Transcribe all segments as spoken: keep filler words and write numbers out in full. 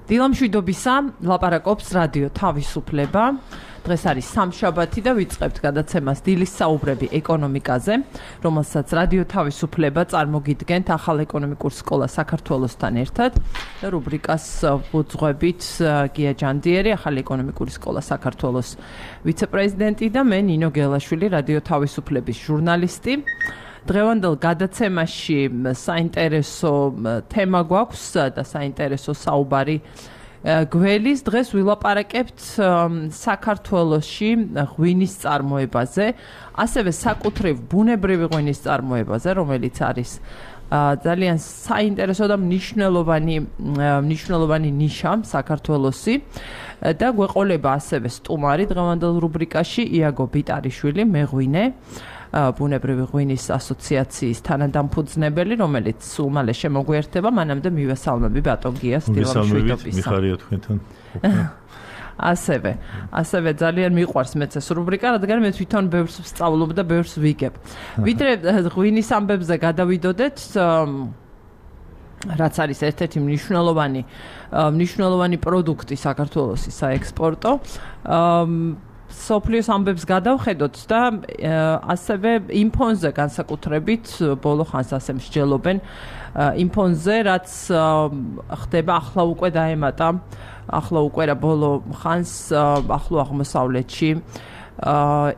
დილამშვიდობისა, ლაპარაკობს რადიო თავისუფლება. დღეს არის სამშაბათი და ვიწყებთ გადაცემას დილის საუბრები ეკონომიკაზე, რომელსაც რადიო თავისუფლება წარმოგიდგენთ ახალ ეკონომიკურ სკოლა საქართველოსთან ერთად და რუბრიკას ვუძღვებით გია ჯანდიერი, ახალი ეკონომიკური სკოლა საქართველოს ვიცე-პრეზიდენტი და მე ნინო გელაშვილი, რადიო თავისუფლების ჟურნალისტი. დღევანდელ გადაცემაში საინტერესო თემა გვაქვს და საინტერესო საუბარი გველის. დღეს ვილაპარაკებთ საქართველოში ღვინის წარმოებაზე, ასევე საკუთრივ ბუნებრივი ღვინის წარმოებაზე, რომელიც არის ძალიან საინტერესო და მნიშვნელოვანი მნიშვნელოვანი ნიშა საქართველოსი და გვეყოლება ასევე სტუმარი დღევანდელ რუბრიკაში იაგო ბიტარიშვილი, მეღვინე, ბუნებრივი ღვინის ასოციაციის თანადამფუძნებელი, რომელიც სულ მალე შემოგვიერთება. მანამდე მივესალმები ბატონ გიას დილამშვიდობისა. მიხარია თქვენთან. ასევე, ასევე ძალიან მიყვარს მეც ეს რუბრიკა, რადგან მე თვითონ ბევრს ვსწავლობ და ბევრს ვიგებ. ვიდრე ღვინის ამბებზე გადავიდოდეთ, რაც არის ერთ-ერთი მნიშვნელოვანი მნიშვნელოვანი პროდუქტი საქართველოს საექსპორტო. სოფლიოს ამბებს გადავხედოთ და ასევე იმ ფონზე განსაკუთრებით ბოლო ხანს ასე მსჯელობენ იმ ფონზე, რაც ხდება ახლა უკვე დაემატა ახლა უკვე რა ბოლო ხანს ახლო აღმოსავლეთში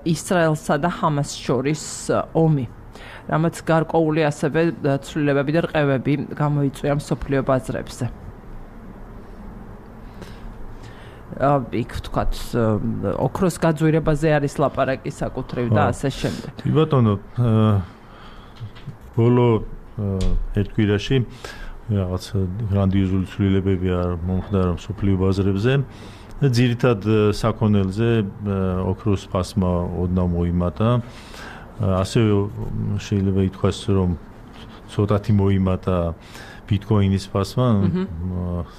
ისრაელსა და ჰამას შორის ომი, რამაც გარკვეული ასევე ცვლილებები და რყევები გამოიწვია მსოფლიო ბაზრებზე. იქ ვთქვათ, ოქროს გაძვირებაზე არის ლაპარაკი საკუთრივ და ასე შემდეგ. კი ბატონო, ბოლო ერთ კვირაში რაღაც გრანდიოზული ცვლილებები არ მომხდარა მსოფლიო ბაზრებზე. ძირითად საქონელზე ოქროს ფასმა ოდნავ მოიმატა. ასევე შეიძლება ითქვას, რომ ცოტათი მოიმატა ბიტკოინის ფასმა,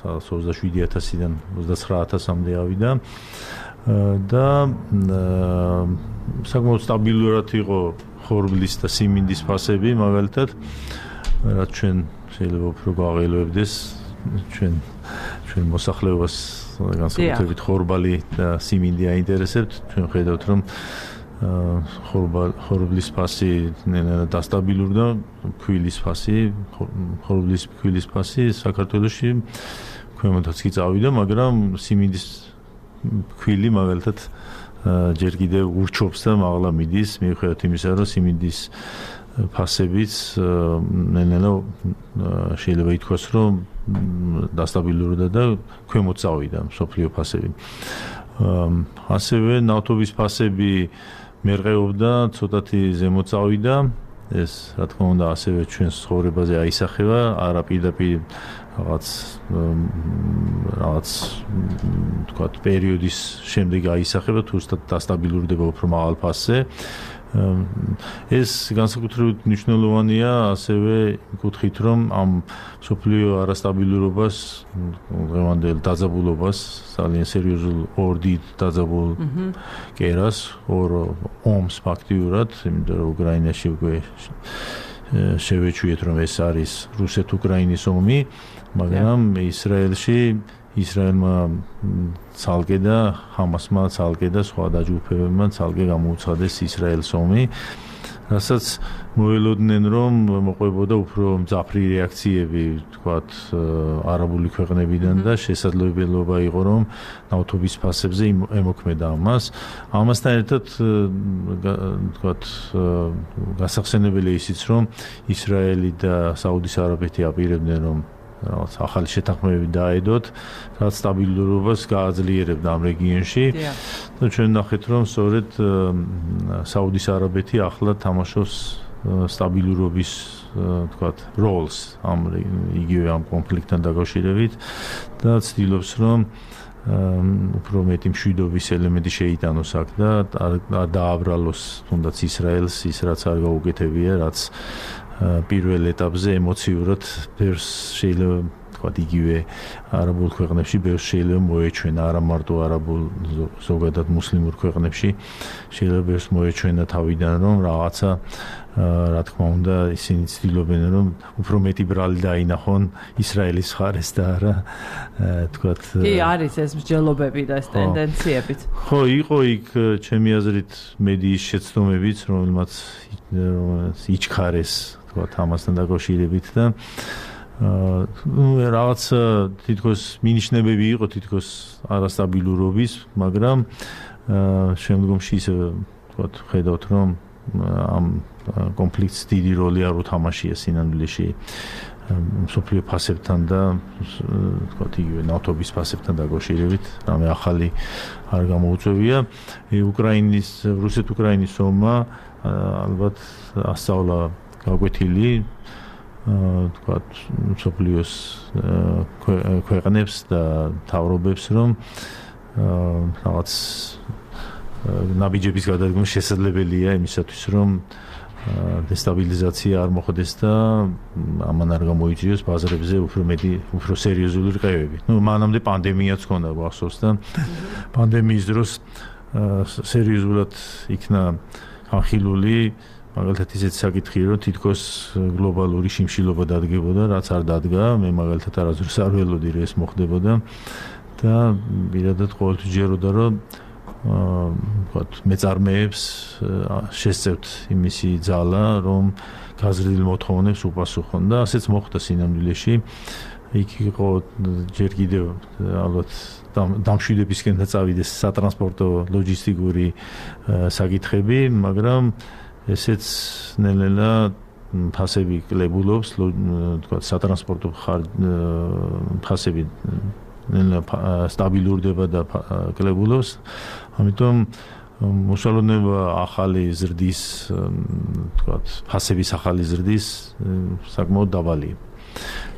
ოცდაშვიდი ათასიდან ოცდაცხრა ათასამდე ავიდა და საკმაოდ სტაბილურად იყო ხორბლის და სიმინდის ფასები, მაგალითად, რაც ჩვენ შეიძლება უფრო გავაღელვებდეს ჩვენ ჩვენ მოსახლეობას, განსაკუთრებით ხორბალი და სიმინდი აინტერესებთ. ჩვენ ხედავთ, რომ ხორბლის ფასი დასტაბილურდა, ქვილის ფასი, ხორბლის ქვილის ფასი საქართველოში ქვემოთაც კი წავიდა, მაგრამ სიმინდის ქვილი მაგალითად ჯერ კიდევ ურჩობს და მაღლა მიდის, მიუხედავად იმისა, რომ სიმინდის ფასებიც ნელა შეიძლება ითქვას, რომ დასტაბილურდა და ქვემოთ წავიდა მსოფლიო ფასები. ასევე ნავთობის ფასები მერყეობდა, ცოტათი ზემოთ წავიდა. ეს რა თქმა უნდა ასევე ჩვენს ცხოვრებაზე აისახება, არა პირდაპირ რაღაც რაღაც თქვათ პერიოდის შემდეგ აისახება, თუ დასტაბილურდება უფრო მაღალ ფასზე. ეს განსაკუთრებით მნიშვნელოვანია ასევე კუთხით, რომ ამ მსოფლიო არასტაბილურობას, დღევანდელ დაძაბულობას, ძალიან სერიოზულ ორ დიდ დაძაბულ კერას, ორ ომს ფაქტიურად, იმიტომ რომ უკრაინაში უკვე შევეჩვიეთ, რომ ეს არის რუსეთ-უკრაინის ომი, მაგრამ ისრაელში ისრაელმა ცალკე და ჰამასმა ცალკე და სხვა დაჯგუფებებმა ცალკე გამოუცხადეს ისრაელს ომი, რასაც მოელოდნენ, რომ მოყვებოდა უფრო მძაფრი რეაქციები, თქვათ, არაბული ქვეყნებიდან და შესაძლებლობა იყო, რომ ნავთობის ფასებზე ემოქმედა ამას. ამასთან ერთად, თქვათ, გასახსენებელია ისიც, რომ ისრაელი და საუდის არაბეთი აპირებდნენ, რომ რაღაც ახალი შეთანხმებები დაედოთ, რაც სტაბილურობას გააძლიერებდა ამ რეგიონში. და ჩვენ ნახეთ, რომ სწორედ საუდის არაბეთი ახლა თამაშობს სტაბილურობის, თქვათ, როლს ამ იგივე ამ კონფლიქტთან დაკავშირებით და ცდილობს, რომ უფრო მეტი მშვიდობის ელემენტი შეიტანოს აქ და დააბრალოს თუნდაც ისრაელს ის, რაც არ გაუკეთებია, რაც პირველ ეტაპზე ემოციურად ბევრს შეიძლება თქვა იგივე არაბულ ქვეყნებში ბევრს შეიძლება მოეჩვენა, არა მარტო არაბულ ზოგადად მუსლიმურ ქვეყნებში შეიძლება ბევრს მოეჩვენა თავიდან რომ რაღაცა რა თქმა უნდა ისინი ცდილობენ რომ უფრო მეტი ბრალი დაინახონ ისრაელის მხარეს და არა თქვათ კი არის ეს მსჯელობები და ეს ტენდენციებიც ხო იყო იქ ჩემი აზრით მედიის შეცდომებიც რომელმაც იჩქარეს თქვათ ამასთან დაკავშირებით და ну რაღაც თითქოს მინიშნებები იყო თითქოს არასტაბილურობის მაგრამ შემდგომში ისე თქვათ ხედავთ რომ ამ კონფლიქტს დიდი როლი არ უთამაშია სინამდვილეში მსოფლიო ფასებთან და თქვათ იგივე ნავთობის ფასებთან დაკავშირებით რამე ახალი არ გამოუწევია უკრაინის რუსეთ-უკრაინის ომმა ალბათ ასწავლა გაკვეთილი თქვათ მსოფლიოს ქვეყნებს და თავრობებს რომ რაღაც ნაბიჯების გადადგმა შესაძლებელია იმისათვის რომ დესტაბილიზაცია არ მოხდეს და ამან არ გამოიწვიოს ბაზრებზე უფრო მეტი უფრო სერიოზული რყევები. ნუ მანამდე პანდემიაც ჰქონდა გახსოვს და პანდემიის დროს სერიოზულად იქნა ახილული მაგალითად ისეთ საკითხი რომ თითქოს გლობალური შიმშილობა დადგებოდა რაც არ დადგა მე მაგალითად არასდროს არ ველოდი რომ ეს მოხდებოდა და პირადად ყოველთვის ჯეროდა რომ ვთქვათ მეწარმეებს შესწევთ იმისი ძალა რომ გაზრდილ მოთხოვნებს უპასუხონ და ასეც მოხდა სინამდვილეში იქ იყო ჯერ კიდევ ალბათ დამშვიდებისკენ წავიდეს სატრანსპორტო ლოჯისტიკური საკითხები მაგრამ ესეც ნელ-ნელა ფასები კლებულობს ვთქვათ სატრანსპორტო ფასები სტაბილურდება და კლებულობს ამიტომ მოსალონება ახალი ზრდის ვთქვათ ფასების ახალი ზრდის საკმაოდ დაბალია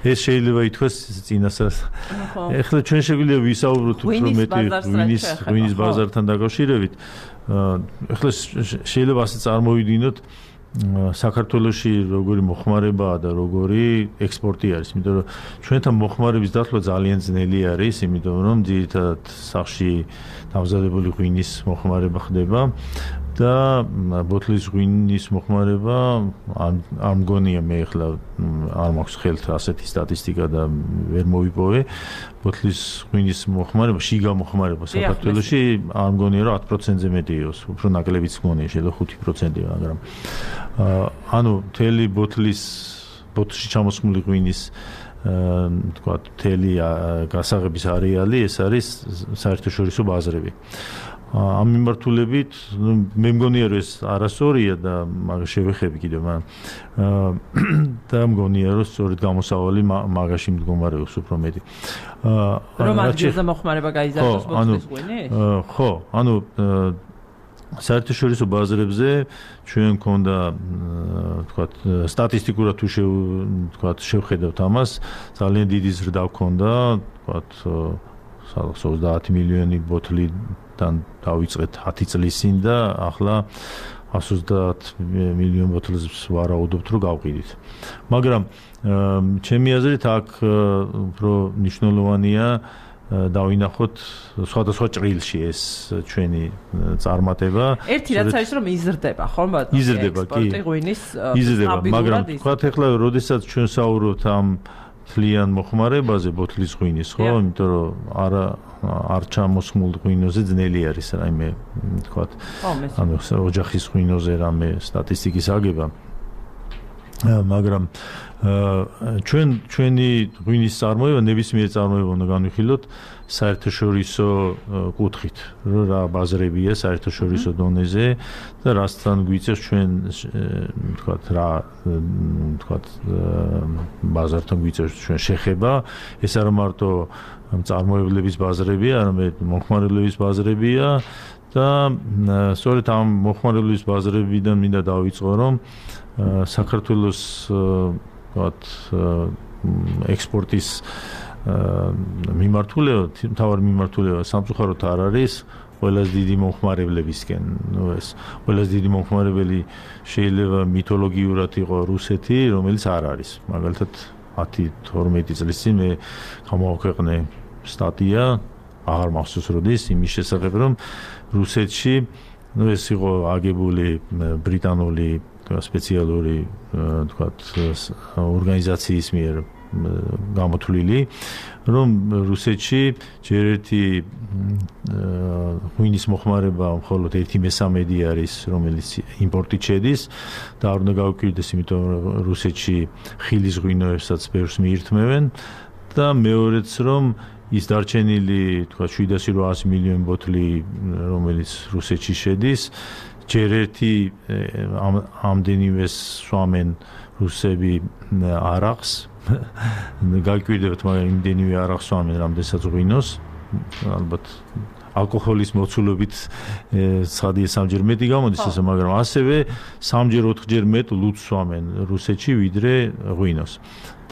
ეს შეიძლება ითქვას წინასწარ ეხლა ჩვენ შეგვიძლია ვისაუბროთ უფრო მეტი ღვინის ღვინის ბაზართან დაკავშირებით ეხლა შეიძლება ასე წარმოვიდგინოთ საქართველოში როგორი მოხმარებაა და როგორი ექსპორტი არის, იმიტომ რომ ჩვენთან მოხმარების დათვლა ძალიან ძნელი არის, იმიტომ რომ ძირითადად სახში დამზადებული ღვინის მოხმარება ხდება და ბოთლის ღვინის მოხმარება არ მგონია მე ახლა არ მაქვს ხელთ ასეთი სტატისტიკა და ვერ მოვიპოვე ბოთლის ღვინის მოხმარება შიგა მოხმარება საქართველოში არ მგონია რომ ათი პროცენტზე მეტი იყოს უფრო ნაკლებიც მგონია შეიძლება ხუთი პროცენტი მაგრამ ანუ თელი ბოთლის ბოთლში ჩამოსხმული ღვინის თქვა თელი გასაღების არეალი ეს არის საერთაშორისო ბაზრები ამ მიმართულებით მე მგონია რომ ეს არასწორია და მაგას შევეხები კიდევ მაგრამ და მგონია რომ სწორედ გამოსავალი მაგაში მდგომარეობს უფრო მეტი რომ ადგილზე მოხმარება გაიზარდოს ბოთლის ღვინი ხო ანუ საერთაშორისო ბაზრებზე ჩვენ მქონდა ვთქვათ სტატისტიკურად თუ ვთქვათ შევხედავთ ამას ძალიან დიდი ზრდა მქონდა ვთქვათ ოცდაათი მილიონი ბოთლიდან დავიწყეთ ათი წლის წინ და ახლა εκατს ოცდაათ მილიონ ბოთლს ვარაუდობთ რომ გავყიდით მაგრამ ჩემი აზრით აქ უფრო მნიშვნელოვანია დავინახოთ სხვადასხვა ჭრილში ეს ჩვენი წარმატება. ერთი რაც არის რომ იზრდება, ხო? იზრდება კი. ექსპორტი ღვინის იზრდება, მაგრამ თქვათ ახლა როდესაც ჩვენ საუბრობთ ამ თლიან მოხმარებაზე ბოთლის ღვინის, ხო? იმიტომ რომ არა არ ჩამოსხმულ ღვინოზე ძნელი არის რაიმე თქვათ. ანუ ოჯახის ღვინოზე რამე სტატისტიკის აგება. მაგრამ ჩვენ ჩვენი ღვინის წარმოება ნებისმიერ წარმოება უნდა განვიხილოთ საერთაშორისო კუთხით, რომ რა ბაზრებია საერთაშორისო დონეზე და რასთან გვიწევს ჩვენ ვთქვათ რა ვთქვათ ბაზართან გვიწევს ჩვენ შეხება, ეს არ მარტო წარმოებლების ბაზრებია, არამედ მოხმარებლების ბაზრებია და სწორედ ამ მოხმარებლების ბაზრებიდან მინდა დავიწყო, რომ საქართველოს ვთქვათ ექსპორტის მიმართულება, მთავარი მიმართულება სამწუხაროდ არ არის ყველაზე დიდი მომხმარებლებისკენ. ნუ ეს ყველაზე დიდი მომხმარებელი შეიძლება მითოლოგიურად იყო რუსეთი, რომელიც არ არის. მაგალითად ათი თორმეტი წლის წინ მე გამოვაქვეყნე სტატია, აღარ მახსოვს როდის, იმის შესახებ, რომ რუსეთში ну ეს იყო აგებული ბრიტანული სპეციალური თქვათ ორგანიზაციის მიერ გამოთვლილი, რომ რუსეთში ჯერ ერთი ღვინის მოხმარება მხოლოდ ერთი მესამედი არის, რომელიც იმპორტით შედის და არ უნდა გავუკვირდეს, იმიტომ რომ რუსეთში ხილის ღვინოებსაც ბევრს მიირთმევენ და მეორეც რომ ის დარჩენილი თქვა შვიდასი რვაასი მილიონი ბოთლი, რომელიც რუსეთში შედის, ჯერ ერთი ამდენივეს სვამენ რუსები არახს, გაიკვირდებათ, მაგრამ იმდენივე არახს სვამენ, რამდენსაც ღვინოს, ალბათ ალკოჰოლის მოცულობით ცხადია სამჯერ მეტი გამოდის ესე, მაგრამ ასევე სამჯერ ოთხჯერ მეტ ლუდს სვამენ რუსეთში, ვიდრე ღვინოს.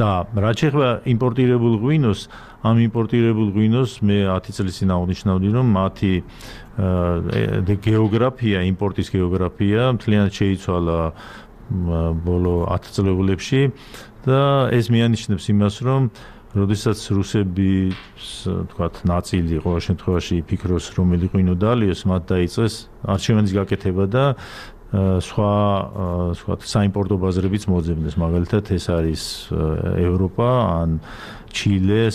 და რაც შეეხება იმპორტირებულ ღვინოს, ამ იმპორტირებულ ღვინოს მე ათი წლის წინ აღნიშნავდი, რომ მათი გეოგრაფია, იმპორტის გეოგრაფია მთლიანად შეიცვალა ბოლო ათ წლებულებში და ეს მიანიშნებს იმას, რომ როდესაც რუსები თქვათ ნაწილი ყოველ შემთხვევაში ფიქრობს, რომელი ღვინო დაალიოს, მათ დაიწყეს არჩევანის გაკეთება და სხვა ვთქვათ საიმპორტო ბაზრებიც მოძებნეს, მაგალითად ეს არის ევროპა ან ჩილე,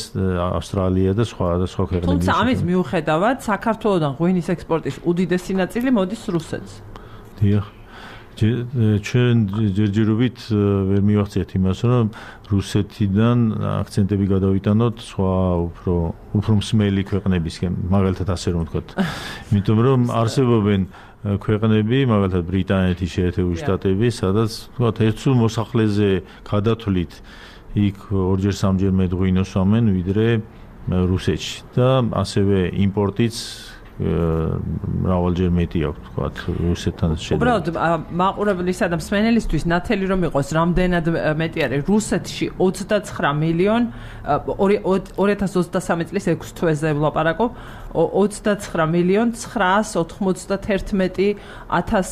ავსტრალია და სხვა და სხვა ქვეყნები. თუმცა ამის მიუხედავად საქართველოსთან ღვინის ექსპორტის უდიდესი ნაწილი მოდის რუსეთს. დიახ. ჩვენ ჯერჯერობით ვერ მივახციეთ იმას, რომ რუსეთიდან აქცენტები გადავიტანოთ სხვა უფრო უფრო მსმელი ქვეყნებისკენ, მაგალითად ასე რომ ვთქვათ. იმიტომ რომ არსებობენ ქვეყნები, მაგალითად ბრიტანეთის შეერთებული შტატები, სადაც ვთქვათ ერთ სულ მოსახლეზე გადათვლით იქ ორჯერ სამჯერ მეტ ღვინოს სვამენ, ვიდრე რუსეთში და ასევე იმპორტიც მრავალჯერ მეტი აქვს, ვთქვათ, რუსეთთან შედარებით. უბრალოდ მაყურებლისა და მსმენელისთვის ნათელი რომ იყოს, რამდენად მეტი არის რუსეთში ოცდაცხრა მილიონი ორი ათას ოცდასამი წლის ექვსი თვეზე ვლაპარაკობ, ოცდაცხრა მილიონი ცხრაას ოთხმოცდაათი ათას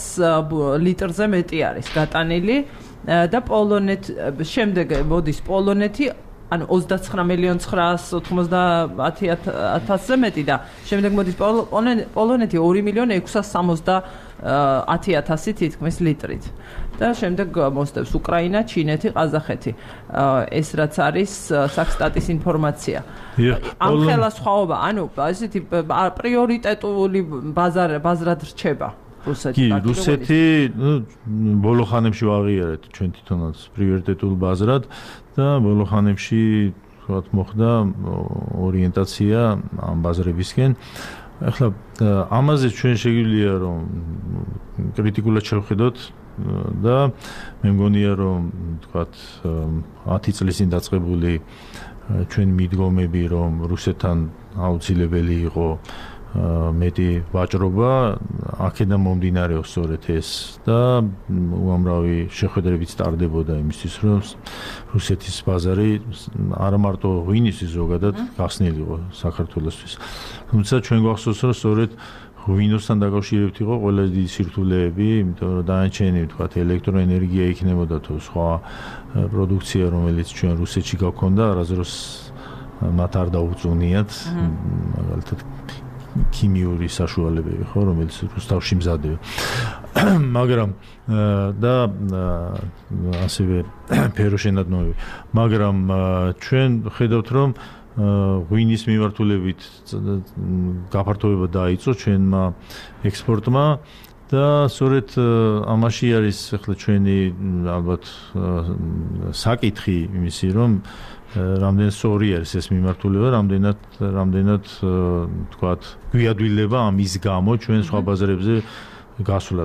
ლიტრზე მეტი არის გატანილი და პოლონეთ შემდეგ მოდის პოლონეთი ანუ ოცდაცხრა მილიონი ცხრაას ოთხმოცდაათი ათასზე მეტი და შემდეგ მოდის პოლონეთი ორი მილიონი ექვსას სამოცდაათი ათასი თითქმის litrით და შემდეგ მოსდევს უკრაინა, ჩინეთი, ყაზახეთი. ეს რაც არის საქსტატის ინფორმაცია. ამ ხელა სხვაობა, ანუ ესეთი პრიორიტეტული ბაზრად რჩება. კი, რუსეთი, ნუ ბოლო ხანებში ვაღიარეთ ჩვენ თვითონაც პრიორიტეტულ ბაზრად და ბოლო ხანებში ვთქვათ მოხდა ორიენტაცია ამ ბაზრებისკენ. ახლა ამაზე ჩვენ შეგვიძლია რომ კრიტიკულად შევხედოთ და მე მგონია რომ ვთქვათ ათი წლის წინ დაწყებული ჩვენ მიდგომები რომ რუსეთთან აუცილებელი იყო მეტი ვაჭრობა, აქედან მომდინარეობს სწორედ ეს და უამრავი შეხვედრებით სტარდებოდა იმისთვის, რომ რუსეთის ბაზარი არა მარტო ღვინისთვის ზოგადად გახსნილიყო საქართველოსთვის. თუმცა ჩვენ გვახსოვს, რომ სწორედ ღვინოსთან დაკავშირებით იყო ყველა დიდი სირთულეები, იმიტომ რომ დანარჩენი ვთქვათ ელექტროენერგია იქნებოდა თუ სხვა პროდუქცია, რომელიც ჩვენ რუსეთში გაქვთ, არასდროს მათ არ დაუწუნიათ, მაგალითად ქიმიური საშუალებები, ხო, რომელიც რუსთავში მზადდება. მაგრამ და ასევე ფეროშენადნობები. მაგრამ ჩვენ ხედავთ, რომ ღვინის მიმართულებით გაფართოება დაიწყო ჩვენმა ექსპორტმა და სწორედ ამაში არის ახლა ჩვენი ალბათ საკითხი იმისი, რომ რამდენად სწორი არის ეს მიმართულება, რამდენად რამდენად თქვათ გვიადვილება ამის გამო ჩვენ სხვა ბაზრებზე გასვლა.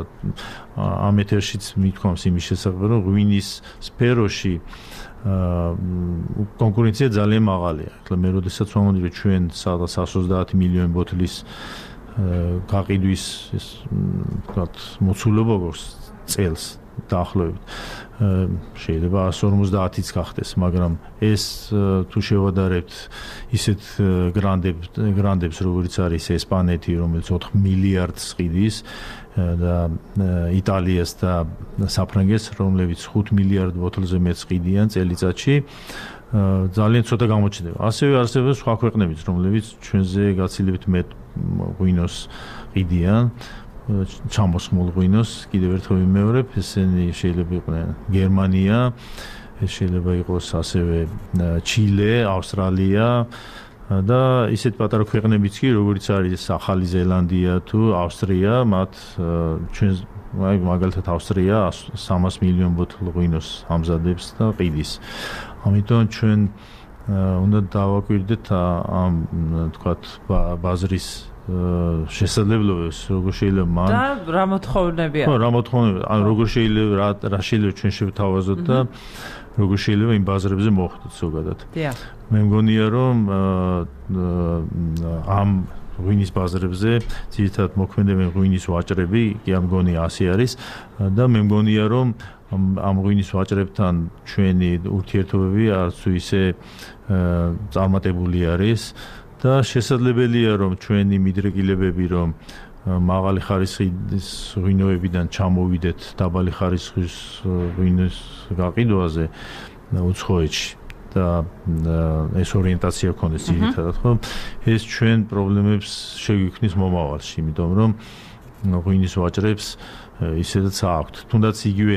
ამ ეთერშიც მithქვამს იმის შესახებ, რომ ღვინის სფეროში კონკურენცია ძალიან მაღალია. ახლა მე როდესაც ვამბობდი, რომ ჩვენ სადღაც εκατს ოცდაათი მილიონი ბოთლის გაყიდვის ეს თქვათ მოცულობა გვაქვს წელს დაახლოებით. შეიძლება εκατს ორმოცდაათიც გახდეს, მაგრამ ეს თუ შევადარებთ ისეთ გრანდებს, გრანდებს როგორც არის ესპანეთი, რომელიც ოთხ მილიარდს ყიდის და იტალიას და საფრანგეთს, რომლებიც ხუთ მილიარდ ბოთლზე მეტს ყიდიან წელიწადში ძალიან ცოტა გამოჩნდება. ასევე არსებობს სხვა ქვეყნებიც, რომლებიც ჩვენზე გაცილებით მეტ ღვინოს ყიდიან, ჩამოსხმულ ღვინოს, კიდევ ერთხელ ვიმეორებ, ესენი შეიძლება იყვნენ გერმანია, ეს შეიძლება იყოს ასევე ჩილე, ავსტრალია და ისეთ პატარა ქვეყნებიც კი, როგორც არის ახალი ზელანდია თუ ავსტრია, მათ ჩვენ აი მაგალითად ავსტრია სამას მილიონ ბოთლ ღვინოს ამზადებს და ყიდის. ამიტომ ჩვენ უნდა დავაკვირდეთ ამ თქვათ ბაზრის შესაძლებლობებს, როგორ შეიძლება მან და რა მოთხოვნებია. ხო, რა მოთხოვნებია, ან როგორ შეიძლება რა რა შეიძლება ჩვენ შევთავაზოთ და როგორ შეიძლება იმ ბაზრებზე მოხვდეთ ზოგადად. დიახ. მე მგონია რომ ამ ღვინის ბაზრებზე ძირითადად მოქმედებენ ღვინის ვაჭრები, კი ამ მგონი ასე არის და მე მგონია რომ ამ ღვინის ვაჭრებთან ჩვენი ურთიერთობები არც თუ ისე წარმატებული არის და შესაძლებელია რომ ჩვენი მიდრეკილებები რომ მაღალი ხარისხის ღვინოებიდან ჩამოვიდეთ დაბალი ხარისხის ღვინის გაყიდვაზე უცხოეთში და ეს ორიენტაცია ქონდეს ძირითადად ხო ეს ჩვენ პრობლემებს შეგვიქმნის მომავალში იმიტომ რომ ღვინის ვაჭრებს ისედაც აქვთ თუნდაც იგივე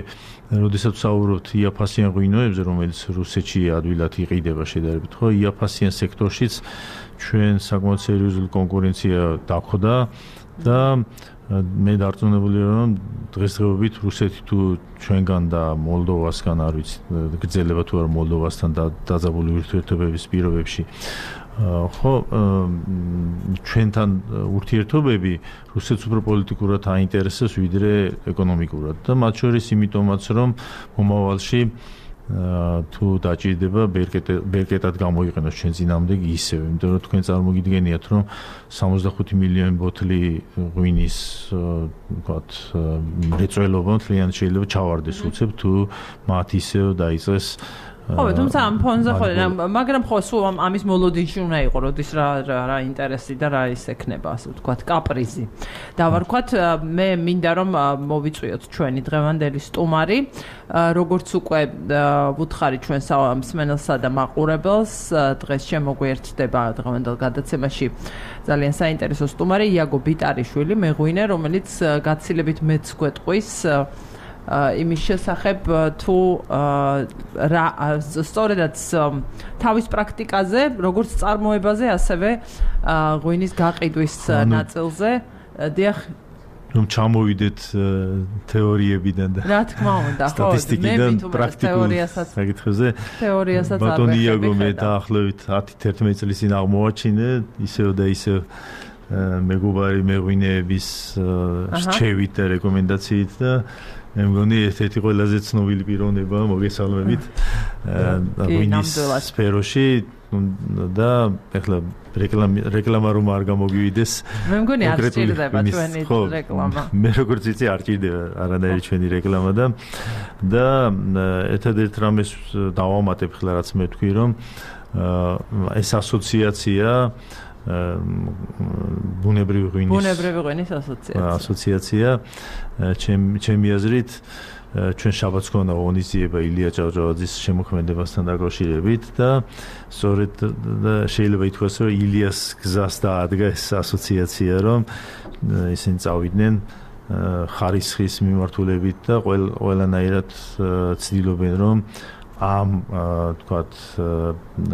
როდესაც ვსაუბრობთ იაფასიან ღვინოებზე რომელიც რუსეთში ადვილად იყიდება შედარებით ხო იაფასიან სექტორშიც ჩვენ საკმაოდ სერიოზული კონკურენცია დახვდა და მე დარწმუნებული რომ დღესდღეობით რუსეთი თუ ჩვენგან და მოლდოვასგან არ ვიცი გრძელება თუ არა მოლდოვასთან დაძაბული ურთიერთობების პირობებში ხო ჩვენთან ურთიერთობები რუსეთს უფრო პოლიტიკურად აინტერესებს ვიდრე ეკონომიკურად და მათ შორის იმიტომაც რომ მომავალში თუ დაჭირდება ბერკეტად გამოიყენოს ჩვენ წინამდე ისევ, იმიტომ რომ თქვენ წარმოგიდგენიათ რომ სამოცდახუთი მილიონი ბოთლი ღვინის ვთქვათ მრეწველობა მთლიანად შეიძლება ჩავარდეს უცებ თუ მათ ისევ დაიწყეს ხო, თუმცა ამ ფონზე ხო, მაგრამ ხო სულ ამის მოლოდინში უნდა იყო, როდის რა რა ინტერესი და რა ის ექნება, ასე ვთქვათ, კაპრიზი. და ვარქვათ, მე მინდა რომ მოვიწვიოთ ჩვენი დღევანდელი სტუმარი, როგორც უკვე ვუთხარი ჩვენ მსმენელსა და მაყურებელს, დღეს შემოგვიერთდება დღევანდელ გადაცემაში ძალიან საინტერესო სტუმარი იაგო ბიტარიშვილი, მეღვინე, რომელიც გაცილებით მეც გვეტყვის იმის შესახებ თუ რა სწორედაც თავის პრაქტიკაზე, როგორც წარმოებაზე, ასევე ღვინის გაყიდვის ნაწილზე, დიახ რომ ჩამოვიდეთ თეორიებიდან და რა თქმა უნდა, ხო, სტატისტიკიდან პრაქტიკულ საკითხებზე. თეორიასაც არ ბატონი იაგო მე დაახლოებით ათი თერთმეტი წლის წინ აღმოვაჩინე, ისევ და ისევ მეგობარი მეღვინეების რჩევით და რეკომენდაციით და მე მგონი ერთ-ერთი ყველაზე ცნობილი პიროვნება მოგესალმებით ღვინის სფეროში და ეხლა რეკლამა რომ არ გამოგივიდეს მე მგონი არ სჭირდება ჩვენი რეკლამა მე როგორც იცი არ სჭირდება არანაირი ჩვენი რეკლამა და და ერთადერთ რამეს დავამატებ ხლა რაც მე თქვი რომ ეს ასოციაცია ბუნებრივი ღვინის ბუნებრივი ღვინის ასოციაცია ასოციაცია ჩემ ჩემი აზრით ჩვენ შაბათს ქონდა ღონისძიება ილია ჭავჭავაძის შემოქმედებასთან დაკავშირებით და სწორედ შეიძლება ითქვას რომ ილიას გზას დაადგა ეს ასოციაცია რომ ისინი წავიდნენ ხარისხის მიმართულებით და ყველანაირად ცდილობენ რომ ამ თქვათ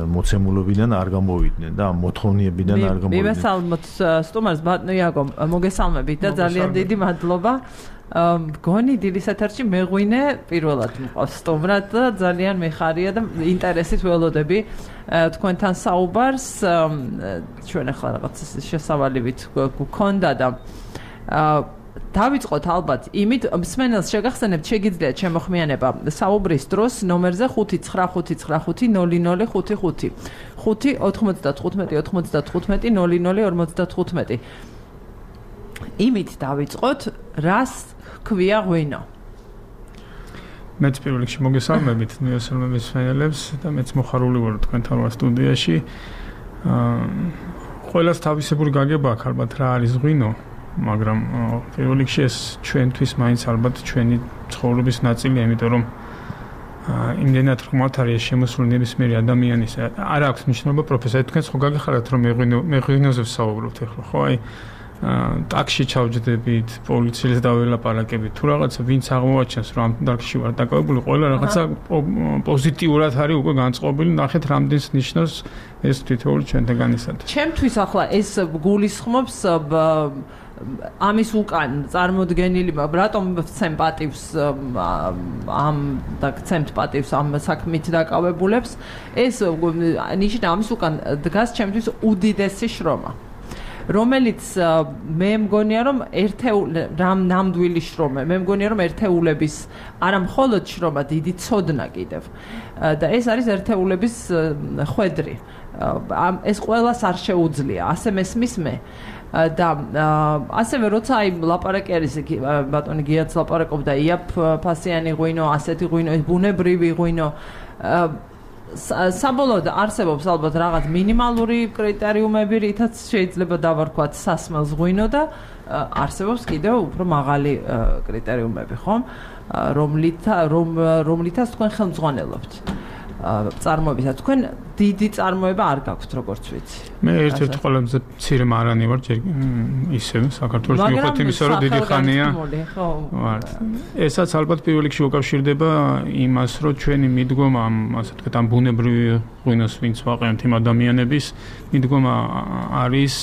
მოცემულობიდან არ გამოვიდნენ და ამ მოთხოვნიებიდან არ გამოვიდნენ. მივესალმოთ სტუმარს ბატონო იაგო, მოგესალმებით და ძალიან დიდი მადლობა. მგონი დილის ეთერში მეღვინე პირველად მყავს სტუმრად და ძალიან მეხარია და ინტერესით ველოდები თქვენთან საუბარს. ჩვენ ახლა რაღაც შესავალივით გვქონდა და დავიწყოთ ალბათ იმით მსმენელს შეგახსენებთ შეგიძლიათ შემოხმიანება საუბრის დროს ნომერზე ხუთი ცხრა ხუთი ცხრა ხუთი ნული ნული ხუთი ხუთი ხუთი ოთხმოცდათხუთმეტი ოთხმოცდათხუთმეტი ნული ნული ორმოცდათხუთმეტი იმით დავიწყოთ რას ქვია ღვინო მეც პირველ რიგში მოგესალმებით მივესალმებით მსმენელებს და მეც მოხარული ვარ თქვენთან ვარ სტუდიაში ყველას თავისებური გაგება აქვს ალბათ რა არის ღვინო მაგრამ პირველ რიგში ეს ჩვენთვის მაინც ალბათ ჩვენი ცხოვრების ნაწილია, იმიტომ რომ იმდენად ხმათ არის შემოსული ნებისმიერი ადამიანის არ აქვს მნიშვნელობა პროფესია თქვენ ხო გაგეხარათ რომ მეღვინეზე ვსაუბრობთ ახლა ხო აი ტაქსში ჩავჯდებით პოლიციელს დაველაპარაკებით თუ რაღაცა ვინც აღმოაჩენს რომ ამ ტაქსში ვარ დაკავებული ყველა რაღაცა პოზიტიურად არის უკვე განწყობილი ნახეთ რამდენს ნიშნავს ეს თითოეული ჩვენთაგანისათვის ჩემთვის ახლა ეს გულისხმობს ამის უკან წარმოდგენილი რატომ ვცემ პატივს ამ და ვცემთ პატივს ამ საქმით დაკავებულებს ეს ნიშნა ამის უკან დგას ჩემთვის უდიდესი შრომა რომელიც მე მგონია რომ ერთეულ ნამდვილი შრომა მე მგონია რომ ერთეულების არა მხოლოდ შრომა დიდი ცოდნა კიდევ და ეს არის ერთეულების ხვედრი ეს ყველას არ შეუძლია ასე მესმის მე და ასევე როცა აი ლაპარაკი არის ბატონი გიაც ლაპარაკობდა იაფ ფასიანი ღვინო ასეთი ღვინო ბუნებრივი ღვინო საბოლოოდ არსებობს ალბათ რაღაც მინიმალური კრიტერიუმები რითაც შეიძლება დავარქვათ სასმელს ღვინო და არსებობს კიდევ უფრო მაღალი კრიტერიუმები ხომ რომლით რომლითაც თქვენ ხელმძღვანელობთ წარმოებისა თქვენ დიდი წარმოება არ გაქვთ როგორც ვიცი მე ერთ-ერთი ყველაზე მცირე მარანი ვარ ჯერ ისე საქართველოს მიუხედავად იმისა რომ დიდი ხანია ვარ ესაც ალბათ პირველ რიგში უკავშირდება იმას რომ ჩვენი მიდგომა ამ ასე ვთქვათ ამ ბუნებრივი ღვინოს ვინც ვაყენებთ იმ ადამიანების მიდგომა არის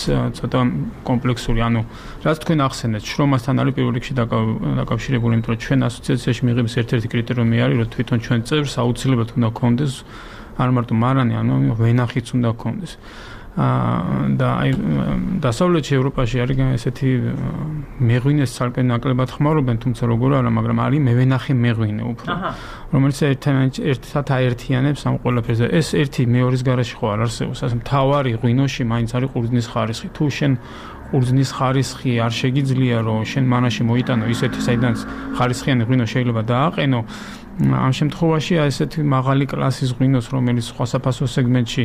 ცოტა კომპლექსური ანუ რაც თქვენ ახსენეთ შრომასთან არის პირველ რიგში დაკავშირებული იმიტომ რომ ჩვენ ასოციაციაში მიღების ერთ-ერთი კრიტერიუმი არის რომ თვითონ ჩვენ წევრს აუცილებლად უნდა გქონდეს არ მარტო მარანი, ანუ ვენახიც უნდა გქონდეს. და აი დასავლეთ ევროპაში არის ესეთი მეღვინეს ცალკე ნაკლებად ხმარობენ, თუმცა როგორ არა, მაგრამ არის მევენახე მეღვინე უფრო. რომელიც ერთად აერთიანებს ამ ყველაფერს. ეს ერთი მეორის garaში ხო არ არსებობს, ასე მთავარი ღვინოში მაინც არის ყურძნის ხარისხი. თუ შენ ყურძნის ხარისხი არ შეგიძლია რომ შენ მანაში მოიტანო ისეთი საიდანაც ხარისხიანი ღვინო შეიძლება დააყენო ამ შემთხვევაში ესეთი მაღალი კლასის ღვინოს რომელიც სხვა საფასო სეგმენტში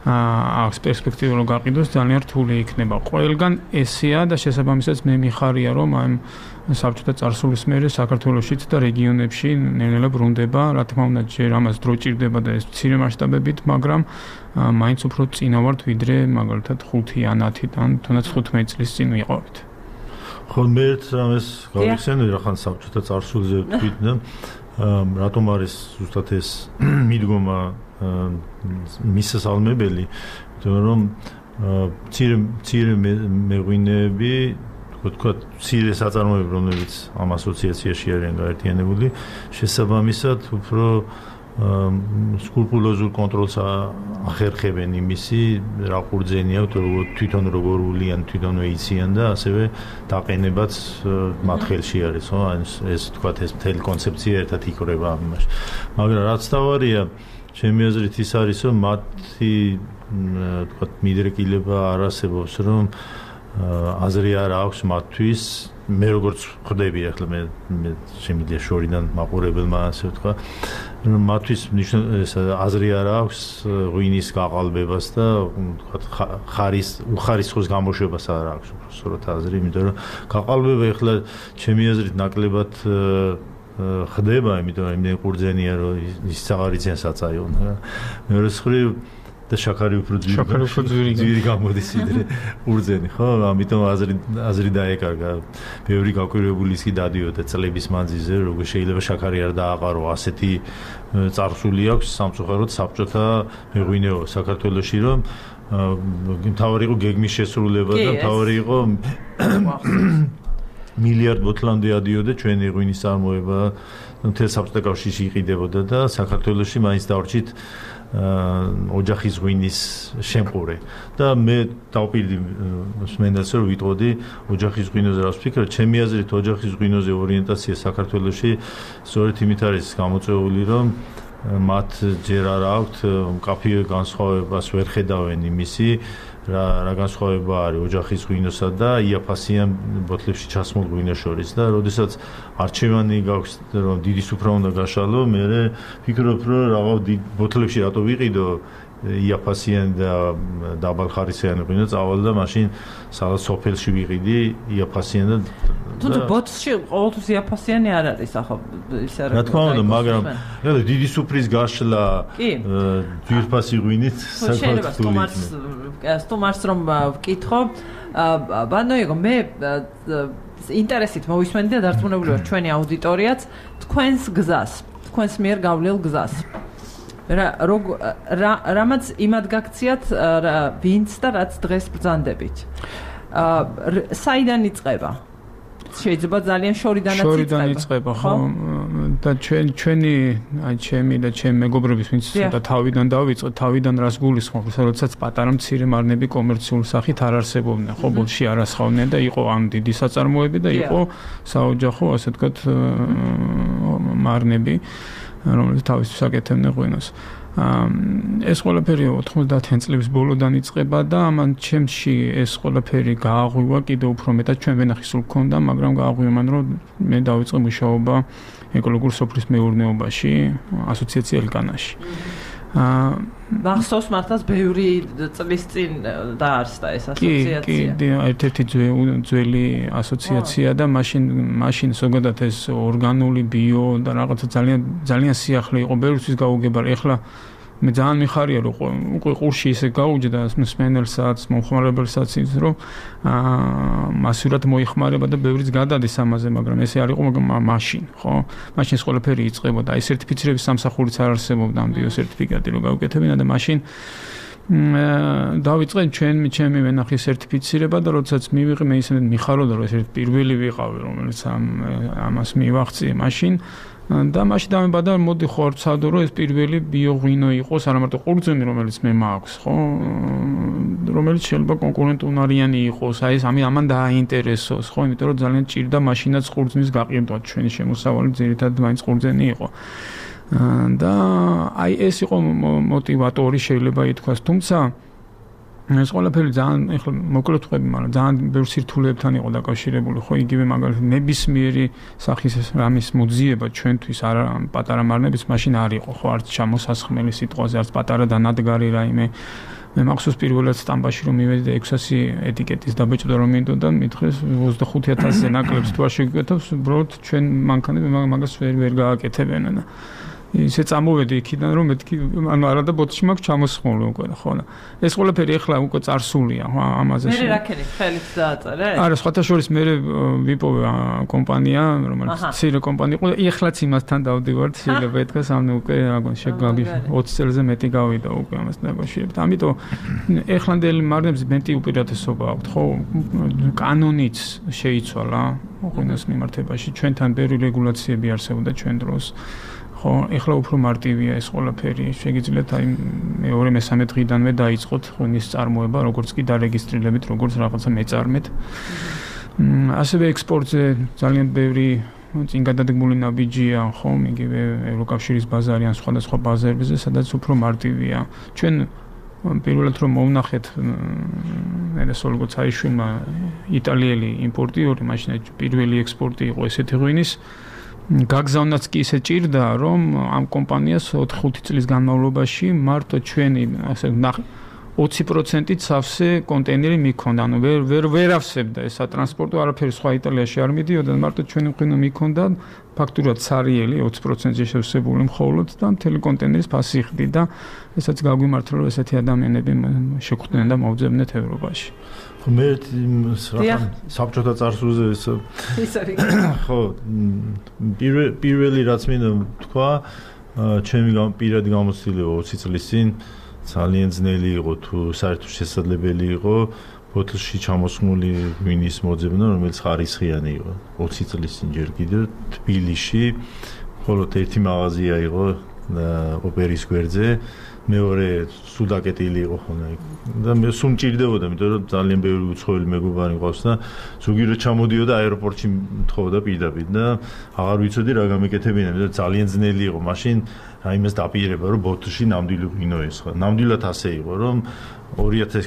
აქვს პერსპექტივა რომ გაყიდოს ძალიან რთული იქნება. ყველგან ესეა და შესაბამისად მე მიხარია რომ ამ საბჭოთა წარსულის მერე საქართველოშიც და რეგიონებში ნელ-ნელა ბრუნდება, რა თქმა უნდა ჯერ ამას დრო ჭირდება და ეს მცირე მასშტაბებით, მაგრამ მაინც უფრო წინა ვართ ვიდრე მაგალითად ხუთი ან ათი ან თუნდაც თხუთმეტი წლის წინ ვიყავით. ხო მე ერთ რამეს გავიხსენე რახან საბჭოთა წარსულზე ვთქვით და რატომ არის ზუსტად ეს მიდგომა მისასალმებელი, რომ მცირე მცირე მეღვინეები ვთქვათ, მცირე საწარმოები, რომლებიც ამ ასოციაციაში არიან გაერთიანებული, შესაბამისად უფრო სკრუპულოზურ კონტროლს ახერხებენ იმისი, რა ყურძენი აქვს, თვითონ როგორ ულიან, თვითონვე იციან და ასევე დაყენებაც მათ ხელში არის, ხო? ეს ვთქვათ, ეს მთელი კონცეფცია ერთად იკვრება ამ იმაში. მაგრამ რაც თავარია, ჩემი აზრით ის არის, რომ მათი ვთქვათ, მიდრეკილება არ არსებობს, რომ აზრი არ აქვს მათთვის მე როგორც ხვდები ახლა მე შემიძლია შორიდან მაყურებელმა ასე ვთქვა რომ მათთვის აზრი არ აქვს ღვინის გაყალბებას და ვთქვათ ხარის უხარისხოს გამოშვებას არ აქვს უბრალოდ აზრი იმიტომ რომ გაყალბება ახლა ჩემი აზრით ნაკლებად ხდება იმიტომ რომ იმდენი ყურძენია რომ ის აღარ იციან საწაიო მეორე მხრივ და შაქარი უფრო ძვირი ძვირი გამოდის ვიდრე ყურძენი ხო ამიტომ აზრი აზრი დაეკარგა ბევრი გაკვირვებული ის კი დადიოდა წლების მანძილზე როგორ შეიძლება შაქარი არ დააყარო ასეთი წარსული აქვს სამწუხაროდ საბჭოთა მეღვინეო საქართველოში რომ მთავარი იყო გეგმის შესრულება და მთავარი იყო მილიარდ ბოთლამდე ადიოდა ჩვენი ღვინის წარმოება მთელ საბჭოთა კავშირში იყიდებოდა და საქართველოში მაინც დავრჩით ოჯახის ღვინის შემყურე და მე დავპირდი სმენდას რომ ვიტყოდი ოჯახის ღვინოზე რას ვფიქრობ ჩემი აზრით ოჯახის ღვინოზე ორიენტაცია საქართველოში სწორედ იმით არის გამოწვეული რომ მათ ჯერ არ აქვთ მკაფიო განსხვავებას ვერ ხედავენ იმისი რა რა განსხვავება არის ოჯახის ღვინოსა და იაფასიან ბოთლებში ჩასმულ ღვინოს შორის და როდესაც არჩევანი გაქვს რომ დიდი სუფრა უნდა გაშალო მე ვფიქრობ რომ რაღაც ბოთლებში რატო ვიყიდო იაფასიან და დაბალხარისხიანი ღვინო წავალ და მაშინ სადაც სოფელში ვიყიდი იაფასიან და თუმცა ბოთში ყოველთვის იაფასიანი არ არის ახლა ის არ არის. რა თქმა უნდა, მაგრამ დიდი სუფრის გაშლა ძვირფასი ღვინით საქართველოს სტუმარს რომ ვკითხო, ბანო იყო მე ინტერესით მოვისმენდი და დარწმუნებული ვარ ჩვენი აუდიტორიაც თქვენს გზას, თქვენს მიერ გავლილ გზას. რა რამაც იმად გაქციათ ვინც და რაც დღეს ბრძანდებით. საიდან იწყება? შეიძლება ძალიან შორიდანაც იწყება. შორიდან იწყება, ხო? და ჩვენ ჩვენი აი ჩემი და ჩემი მეგობრების ვინც და თავიდან დავიწყეთ, თავიდან რას გულისხმობს, როდესაც პატარა მცირე მარნები კომერციული სახით არ არსებობდნენ, ხო, ბოლში არ ასხავდნენ და იყო ამ დიდი საწარმოები და იყო საოჯახო, ასე ვთქვათ, მარნები, რომელიც თავისთვის აკეთებდნენ ღვინოს. ეს ყველაფერი ოთხმოცდაათი წლების ბოლოდან იწყება და ამან ჩემში ეს ყველაფერი გააღვივა კიდევ უფრო მეტად ჩვენ ვენახი სულ გქონდა, მაგრამ გააღვივა მან რომ მე დავიწყე მუშაობა ეკოლოგურ სოფლის მეურნეობაში, ასოციაცია ელკანაში. აა მახსოვს მართლაც ბევრი წლის წინ დაარსდა ეს ასოციაცია. კი, კი, ერთ-ერთი ძველი ასოციაცია და მაშინ მაშინ ზოგადად ეს ორგანული ბიო და რაღაცა ძალიან ძალიან სიახლე იყო ბევრთვის გაუგებარი. ეხლა მე ძალიან მიხარია რომ უკვე ყურში ისე გაუჯდა მსმენელსაც, მომხმარებელსაც ის რომ აა მასურად მოიხმარება და ბევრიც გადადის ამაზე, მაგრამ ესე არ იყო მაშინ, ხო? მაშინ ეს ყველაფერი იწყებოდა. აი სერტიფიცირების სამსახურიც არ არსებობდა ამ ბიო სერტიფიკატი რომ გავუკეთებინა და მაშინ დავიწყე ჩვენ ჩემი ვენახი სერტიფიცირება და როდესაც მივიღე მე ისე მიხარობდა რომ ეს პირველი ვიყავი რომელიც ამ ამას მივაღწიე მაშინ და მაშინ დამებადა მოდი ხო არ ვცადო რომ ეს პირველი ბიოღვინო იყოს არა მარტო ყურძენი რომელიც მე მაქვს ხო რომელიც შეიძლება კონკურენტუნარიანი იყოს აი ეს ამი ამან დააინტერესოს ხო იმიტომ რომ ძალიან ჭირდა მაშინაც ყურძნის გაყიდვა ჩვენი შემოსავალი ძირითადად მაინც ყურძენი იყო და აი ეს იყო მოტივატორი შეიძლება ითქვას თუმცა ეს ყველაფერი ძალიან ეხლა მოკლედ ვყვები მაგრამ ძალიან ბევრ სირთულეებთან იყო დაკავშირებული ხო იგივე მაგალითად ნებისმიერი სახის რამის მოძიება ჩვენთვის არა პატარა მარნების მაშინ არ იყო ხო არც ჩამოსასხმელი სიტყვაზე არც პატარა დანადგარი რაიმე მე მახსოვს პირველად სტამბაში რომ მივედი და ექვსასი ეტიკეტის დაბეჭდა რომ მინდოდა მითხრეს ოცდახუთი ათასზე ნაკლებს თუ არ შეგვიკვეთავს უბრალოდ ჩვენ მანქანები მაგას ვერ ვერ გააკეთებენ და ისე წამოვედი იქიდან რომ მეთქი ანუ არა და ბოთში მაქვს ჩამოსხმული უკვე ხო და ეს ყველაფერი ახლა უკვე წარსულია ხო ამაზე მე რაკენი ხელით დააწერე არა სხვათა შორის მე ვიპოვე კომპანია რომელიც ცირე კომპანია იყო ეხლაც იმასთან დავდივართ შეიძლება ეთქას ანუ უკვე აგონ შეგვაგი ოცი წელზე მეტი გავიდა უკვე ამასთან დაკავშირებით ამიტომ ეხლანდელი მარნებს მეტი უპირატესობა აქვთ ხო კანონიც შეიცვალა ღვინოს მიმართებაში ჩვენთან ბევრი რეგულაციები არსებობდა ჩვენ დროს ხო, ეხლა უფრო მარტივია ეს ყველაფერი. შეგიძლიათ აი მეორე მესამე დღიდანვე დაიწყოთ ღვინის წარმოება, როგორც კი დარეგისტრირებით, როგორც რაღაცა მეწარმეთ. ასევე ექსპორტზე ძალიან ბევრი წინ გადადგმული ნაბიჯია, ხო, იგივე ევროკავშირის ბაზარი ან სხვადასხვა ბაზარებზე, სადაც უფრო მარტივია. ჩვენ პირველად რომ მოვნახეთ მე სოლგო ცაიშვილმა იტალიელი იმპორტიორი, მაშინ პირველი ექსპორტი იყო ესეთი ღვინის გაგზავნაც კი ისე ჭირდა რომ ამ კომპანიას ოთხ-ხუთი წლის განმავლობაში მარტო ჩვენი ასე ოცი პროცენტით სავსე კონტეინერი მიქონდა ანუ ვერ ვერ ვერ ავსებდა ეს სატრანსპორტო არაფერი სხვა იტალიაში არ მიდიოდა მარტო ჩვენი ღვინო მიქონდა ფაქტურად სარიელი ოცი პროცენტზე შევსებული მხოლოდ და მთელი კონტეინერის ფასი ხდი და ესაც გაგვიმართლა რომ ესეთი ადამიანები შეგვხვდნენ და მოვძებნეთ ევროპაში მე რაღაც საბჭოთა წარსულზე ეს ხო პირველი რაც მინდა თქვა ჩემი პირადი გამოცდილება ოცი წლის წინ ძალიან ძნელი იყო თუ საერთოდ შესაძლებელი იყო ბოთლში ჩამოსხმული ღვინის მოძებნა რომელიც ხარისხიანი იყო ოცი წლის წინ ჯერ კიდევ თბილისში მხოლოდ ერთი მაღაზია იყო ოპერის გვერდზე მეორე სუდაკეტილი იყო ხოლმე და მე სულ მჭირდებოდა იმიტომ რომ ძალიან ბევრი უცხოელი მეგობარი მყავს და ზოგი რო ჩამოდიოდა აეროპორტში მთხოვდა პირდაპირ და აღარ ვიცოდი რა გამეკეთებინა იმიტომ რომ ძალიან ძნელი იყო მაშინ აი იმას დაპირება რომ ბოთლში ნამდვილი ღვინო ესხა ნამდვილად ასე იყო რომ ორი ათას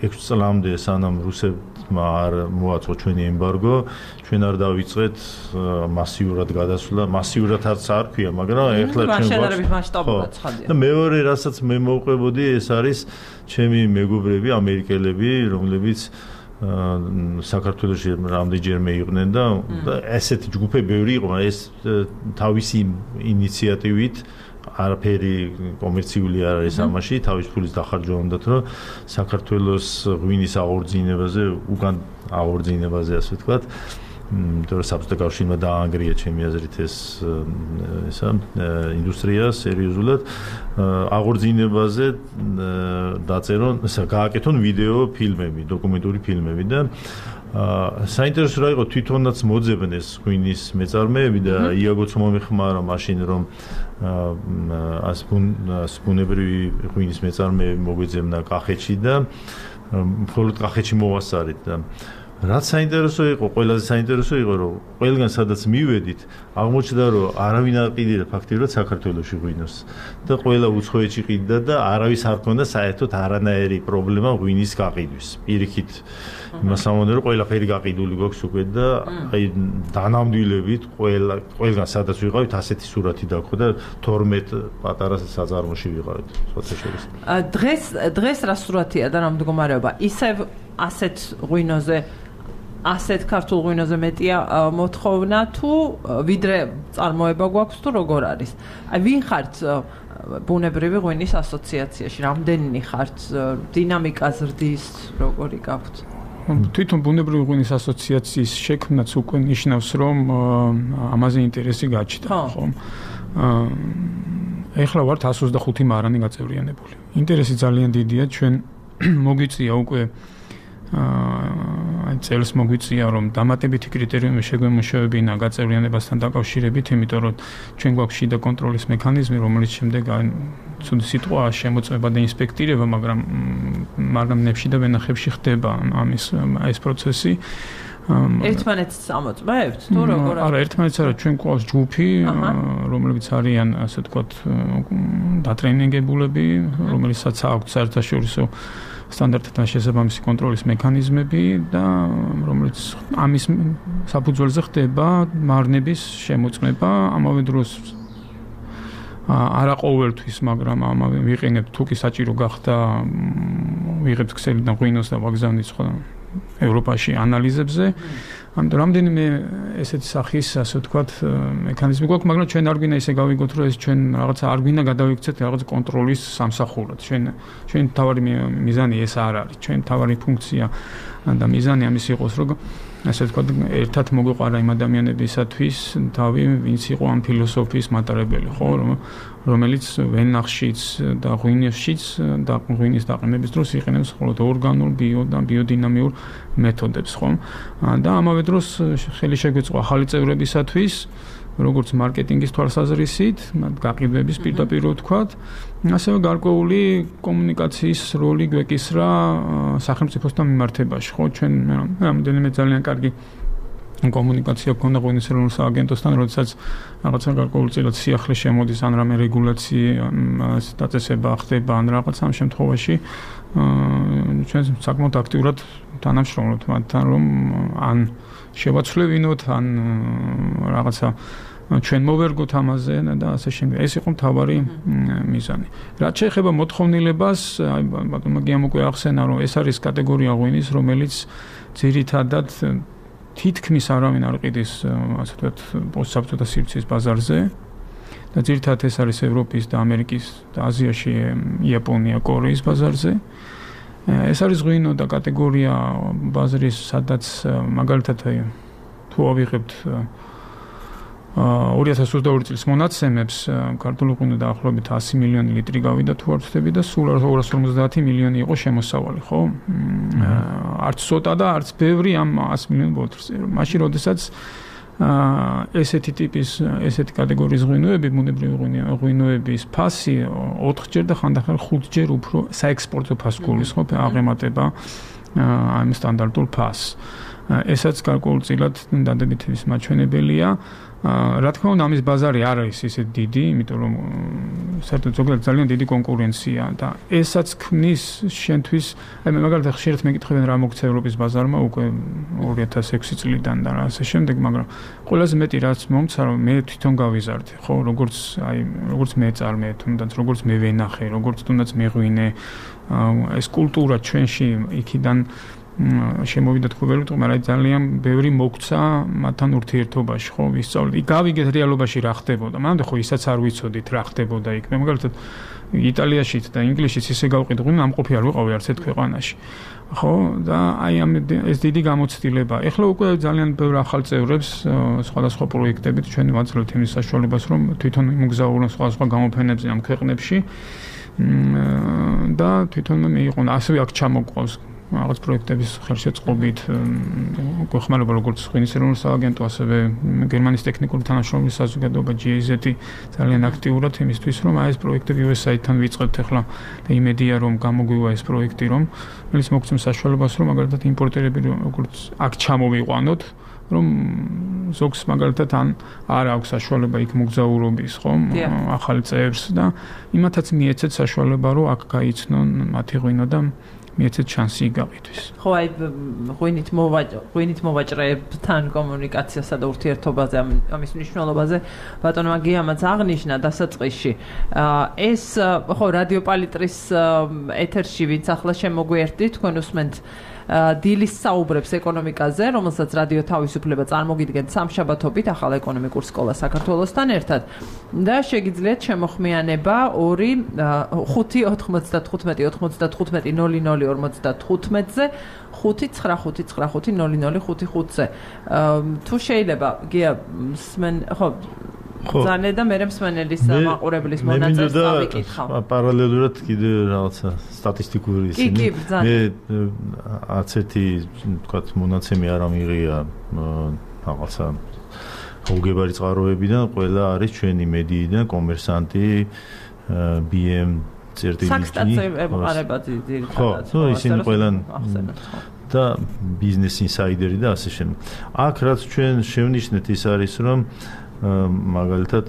ექვსი წლამდე სანამ რუსებმა არ მოაწყო ჩვენი ემბარგო ჩვენ არ დავიწყეთ მასიურად გადასვლა მასიურადაც არ ქვია მაგრამ ეხლა ჩვენ შეერებით მასშტაბურად ცხადია და მეორე რასაც მე მოვყვებოდი ეს არის ჩემი მეგობრები ამერიკელები რომლებიც საქართველოში რამდენჯერმე იყვნენ და ესეთი ჯგუფები ბევრი იყო, მაგრამ ეს თავისი ინიციატივით არაფერი კომერციული არ არის ამაში, თავის ფულის დახარჯვა უნდათ, რომ საქართველოს ღვინის აღორძინებაზე, უკან აღორძინებაზე, ასე ვთქვათ, იმიტომ რომ საბჭოთა კავშირმა დაანგრია ჩემი აზრით ეს ისა ინდუსტრია სერიოზულად აღორძინებაზე დაწერონ, გააკეთონ ვიდეო ფილმები, დოკუმენტური ფილმები და საინტერესო რა იყო თვითონაც მოძებნეს ეს ღვინის მეწარმეები და იაგოც მომეხმარა მაშინ რომ ასბუნებრივი ღვინის მეწარმეები მოგვეძებნა კახეთში და მხოლოდ კახეთში მოვასწარით და რაც საინტერესო იყო, ყველაზე საინტერესო იყო, რომ ყველგან სადაც მივედით, აღმოჩნდა, რომ არავინ არ ყიდიდა ფაქტიურად საქართველოში ღვინოს და ყველა უცხოეთში ყიდდა და არავის არ ქონდა საერთოდ არანაირი პრობლემა ღვინის გაყიდვის. პირიქით იმას ამბობდნენ, რომ ყველაფერი გაყიდული გვაქვს უკვე და აი დანამდვილებით ყველა ყველგან სადაც ვიყავით, ასეთი სურათი დაგხო და თორმეტ პატარა საწარმოში ვიყავით, სხვათა შორის. დღეს დღეს რა სურათია და რა მდგომარეობა? ისევ ასეთ ღვინოზე ასეთ ქართულ ღვინოზე მეტია მოთხოვნა თუ ვიდრე წარმოება გვაქვს თუ როგორ არის? აი ვინ ხართ ბუნებრივი ღვინის ასოციაციაში? რამდენი ხართ? დინამიკა ზრდის როგორი გაქვთ? თვითონ ბუნებრივი ღვინის ასოციაციის შექმნაც უკვე ნიშნავს, რომ ამაზე ინტერესი გაჩნდა, ხო? ეხლა ვართ εκατს ოცდახუთი მარანი გაწევრიანებული. ინტერესი ძალიან დიდია, ჩვენ მოგვიწია უკვე აი წელს მოგვიწია რომ დამატებითი კრიტერიუმი შეგვემუშავებინა გაწევრიანებასთან დაკავშირებით, იმიტომ რომ ჩვენ გვაქვს შიდა კონტროლის მექანიზმი, რომელიც შემდეგ ცუდი სიტყვაა შემოწმება და ინსპექტირება, მაგრამ მარგამნებში და ვენახებში ხდება ამის ეს პროცესი. ერთმანეთს ამოწმებთ თუ როგორ? არა, ერთმანეთს არა, ჩვენ გვყავს ჯგუფი, რომლებიც არიან, ასე ვთქვათ, დატრენინგებულები, რომელიცაც აქვს საერთაშორისო სტანდარტთან შესაბამისი კონტროლის მექანიზმები და რომელიც ამის საფუძველზე ხდება მარნების შემოწმება, ამავე დროს არა ყოველთვის, მაგრამ ამავე ვიყენებთ თუ კი საჭირო გახდა ვიღებთ ქსელიდან ღვინოს და ვაგზავნით სხვა ევროპაში ანალიზებზე. ამიტომ რამდენიმე ესეთი სახის, ასე ვთქვათ, მექანიზმი გვაქვს, მაგრამ ჩვენ არ გვინდა ისე გავიგოთ, რომ ეს ჩვენ რაღაცა არ გვინდა გადავიქცეთ რაღაც კონტროლის სამსახურად. ჩვენ ჩვენ თავარი მიზანი ეს არ არის. ჩვენ თავარი ფუნქცია და მიზანი ამის იყოს, რომ ასე ვთქვათ, ერთად მოგვეყარა იმ ადამიანებისათვის თავი, ვინც იყო ამ ფილოსოფიის მატარებელი, ხო, რომელიც ვენახშიც და ღვინისშიც და ღვინის დაყენების დროს იყენებს მხოლოდ ორგანულ, ბიო და ბიოდინამიურ მეთოდებს, ხო? და ამავე დროს ხელი შეგვეწყო ახალი წევრებისათვის, როგორც მარკეტინგის თვალსაზრისით, გაყიდვების პირდაპირ ვთქვათ, ასევე გარკვეული კომუნიკაციის როლი გვეკისრა სახელმწიფოსთან მიმართებაში, ხო? ჩვენ რამდენიმე ძალიან კარგი კომუნიკაცია გქონდა ღვინის ეროვნულ სააგენტოსთან, როდესაც რაღაცა გარკვეულწილად სიახლე შემოდის ან რამე რეგულაცია დაწესება ხდება ან რაღაც ამ შემთხვევაში ჩვენ საკმაოდ აქტიურად თანამშრომლობთ მათთან, რომ ან შევაცვლევინოთ, ან რაღაცა ჩვენ მოვერგოთ ამაზე და ასე შემდეგ. ეს იყო მთავარი მიზანი. რაც შეეხება მოთხოვნილებას, აი ბატონმა გიამ უკვე ახსენა, რომ ეს არის კატეგორია ღვინის, რომელიც ძირითადად თითქმის არავინ არ ყიდის, ასე ვთქვათ, პოსტსაბჭოთა სივრცის ბაზარზე და ძირითადად ეს არის ევროპის და ამერიკის და აზიაში, იაპონია, კორეის ბაზარზე. ეს არის ღვინო და კატეგორია ბაზრის, სადაც მაგალითად თუ ავიღებთ ორი ათას ოცდაორი წლის მონაცემებს, ქართული ღვინო დაახლოებით ასი მილიონი ლიტრი გავიდა თუ არ ვთქვი და სულ ორას ორმოცდაათი მილიონი იყო შემოსავალი, ხო? არც ცოტა და არც ბევრი ამ ასი მილიონ ბოთლზე. მაშინ როდესაც ესეთი ტიპის, ესეთი კატეგორიის ღვინოები, ბუნებრივი ღვინოების ფასი ოთხჯერ და ხანდახან ხუთჯერ უფრო საექსპორტო ფასს გულისხმობს, აღემატება ამ სტანდარტულ ფასს. ესაც გარკვეულწილად დადებითების მაჩვენებელია. რა თქმა უნდა, ამის ბაზარი არ არის ისე დიდი, იმიტომ რომ საერთოდ ზოგადად ძალიან დიდი კონკურენცია და ესაც ქმნის შენთვის, აი მე მაგალითად ხშირად მეკითხებენ რა მოგცა ევროპის ბაზარმა უკვე ორი ათას ექვსი წლიდან და ასე შემდეგ, მაგრამ ყველაზე მეტი რაც მომცა, რომ მე თვითონ გავიზარდე, ხო, როგორც აი როგორც მე წარმე, თუნდაც როგორც მე ვენახე, როგორც თუნდაც მეღვინე, ეს კულტურა ჩვენში იქიდან შემოვიდა თქვი ვერ ვიტყვი, მაგრამ ძალიან ბევრი მოგცა მათთან ურთიერთობაში, ხო, ვისწავლეთ. იქ გავიგეთ რეალობაში რა ხდებოდა. მანამდე ხო ისაც არ ვიცოდით რა ხდებოდა იქ. მე მაგალითად იტალიაშიც და ინგლისშიც ისე გავყიდო, ამყოფი არ ვიყავი არც ერთ ქვეყანაში. ხო, და აი ამ ეს დიდი გამოცდილება. ეხლა უკვე ძალიან ბევრ ახალ წევრებს სხვადასხვა პროექტებით ჩვენ ვაძლევთ იმის საშუალებას, რომ თვითონ იმოგზაურონ სხვადასხვა გამოფენებზე ამ ქვეყნებში და თვითონ მეიყონ ასევე აქ ჩამოყვავს რაღაც პროექტების ხელშეწყობით გვეხმარება როგორც ღვინის ეროვნულ სააგენტო, ასევე გერმანიის ტექნიკური თანამშრომლობის საზოგადოება ჯი ეი ზეტი ძალიან აქტიურად იმისთვის, რომ აი ეს პროექტები იუ ეს ეი-თან ვიწყებთ ახლა და იმედია რომ გამოგვივა ეს პროექტი, რომ რომელიც მოგცემს საშუალებას, რომ მაგალითად იმპორტერები როგორც აქ ჩამოვიყვანოთ, რომ ზოგს მაგალითად ან არ აქვს საშუალება იქ მოგზაურობის, ხო, ახალი წევრს და იმათაც მიეცეთ საშუალება, რომ აქ გაიცნონ მათი ღვინო და მიეცეთ შანსი გაკითხვის. ხო, აი ღვინით მოვაჭრე, ღვინით მოვაჭრეებთან კომუნიკაციასა და ურთიერთობაზე, ამის მნიშვნელობაზე ბატონმა გიამაც აღნიშნა დასაწყისში. ეს ხო, რადიო პალიტრის ეთერში ვინც ახლა შემოგვიერთდით, თქვენ უსმენთ დილის საუბრებს ეკონომიკაზე, რომელსაც რადიო თავისუფლება წარმოგიდგენთ სამშაბათობით ახალ ეკონომიკურ სკოლას საქართველოსთან ერთად და შეგიძლიათ შემოხმიანება ორი ხუთი ოთხმოცდათხუთმეტი ოთხმოცდათხუთმეტი ნული ნული ორმოცდათხუთმეტზე ხუთი ცხრა ხუთი ცხრა ხუთი ნული ნული ხუთი ხუთზე. თუ შეიძლება გია სმენ ხო ზანე და მე მსმენელის მაყურებლის მონაწილეს წავიკითხავ. პარალელურად კიდე რაღაცა სტატისტიკური ისინი. მე არც ერთი თქვათ მონაცემი არ ამიღია რაღაცა უგებარი წყაროებიდან, ყველა არის ჩვენი მედიიდან, კომერსანტი, ბი ემ წერტილი. საქსტაცია ეყარება ძირითადად. ხო, ისინი ყველა და ბიზნეს ინსაიდერი და ასე შემდეგ. აქ რაც ჩვენ შევნიშნეთ ის არის, რომ მაგალითად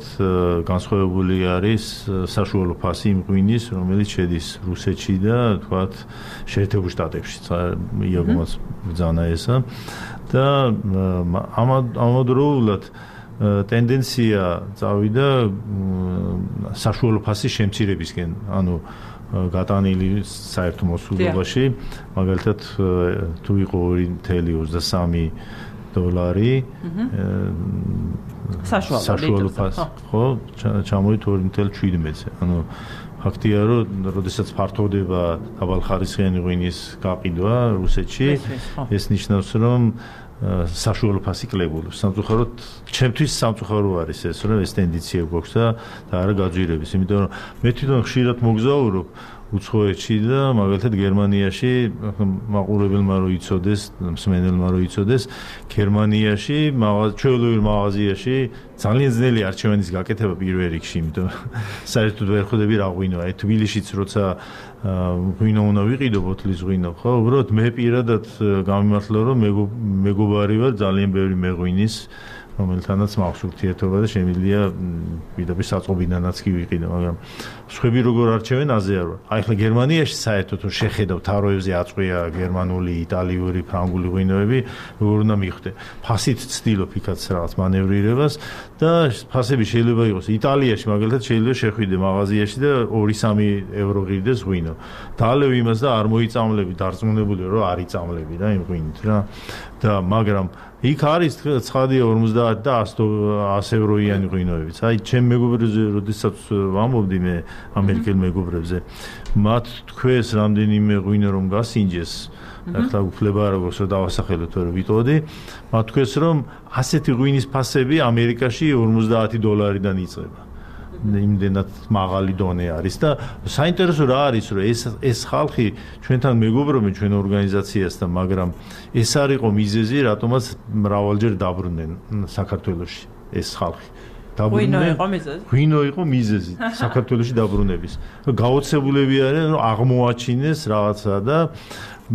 განსხვავებული არის საშუალო ფასი იმ ღვინის, რომელიც შედის რუსეთში და თქვათ შეერთებულ შტატებში. იაგომაც ბრძანა ესა და ამავდროულად ტენდენცია წავიდა საშუალო ფასის შემცირებისკენ, ანუ გატანილი საერთო მოსულობაში, მაგალითად თუ იყო ორი ნული ოცდასამი დოლარი საშუალო ფასი, ხო, ჩამოვიდა ორი ნული შვიდმეტზე. ანუ ფაქტია, რომ როდესაც ფართოვდება დაბალხარისხიანი ღვინის გაყიდვა რუსეთში, ეს ნიშნავს, რომ საშუალო ფასი კლებულობს. სამწუხაროდ, ჩემთვის სამწუხარო არის ეს, რომ ეს ტენდენცია გვაქვს და არა გაძვირების, იმიტომ რომ მე თვითონ ხშირად მოგზაურობ უცხოეთში და მაგალითად გერმანიაში მაყურებელმა რო იცოდეს, მსმენელმა რო იცოდეს, გერმანიაში ჩვეულებრივ მაღაზიაში ძალიან ძნელი არჩევანის გაკეთება პირველ რიგში, იმიტომ საერთოდ ვერ ხვდები რა ღვინოა. აი თბილისშიც როცა ღვინო უნდა ვიყიდო, ბოთლის ღვინო, ხო, უბრალოდ მე პირადად გამიმართლა, რომ მეგობარი ვარ ძალიან ბევრი მეღვინის, რომელთანაც მაქვს ურთიერთობა და შემიძლია პირდაპირ საწყობიდანაც კი ვიყიდო, მაგრამ სხვები როგორ არჩევენ აზე არ ვარ. აი ახლა გერმანიაში საერთოდ თუ შეხედავ თაროებზე აწყვია გერმანული, იტალიური, ფრანგული ღვინოები, როგორ უნდა მიხვდე. ფასით ცდილობ იქაც რაღაც მანევრირებას და ფასები შეიძლება იყოს იტალიაში, მაგალითად შეიძლება შეხვიდე მაღაზიაში და ორი სამი ევრო ღირდეს ღვინო. დაალევ იმას და არ მოიწამლები, დარწმუნებული რომ არ იწამლები რა იმ ღვინით რა. და მაგრამ იქ არის ცხადია ორმოცდაათი და ასი ევროიანი ღვინოებიც. აი ჩემ მეგობრებზე როდესაც ვამბობდი მე ამერიკელ მეგობრებზე, მათ თქვეს რამდენიმე ღვინო რომ გასინჯეს, ახლა უფლება როგორც რომ დავასახელოთ რომ ვიტყოდი, მათ თქვეს რომ ასეთი ღვინის ფასები ამერიკაში ორმოცდაათი დოლარიდან იწყება. იმდენად მაღალი დონე არის და საინტერესო რა არის რომ ეს ეს ხალხი ჩვენთან მეგობრობენ ჩვენ ორგანიზაციასთან, მაგრამ ეს არ იყო მიზეზი, რატომაც მრავალჯერ დაბრუნდნენ საქართველოში ეს ხალხი. ღვინო იყო მიზეზი? ღვინო იყო მიზეზი საქართველოში დაბრუნების. გაოცებულები არიან რომ აღმოაჩინეს რაღაცა და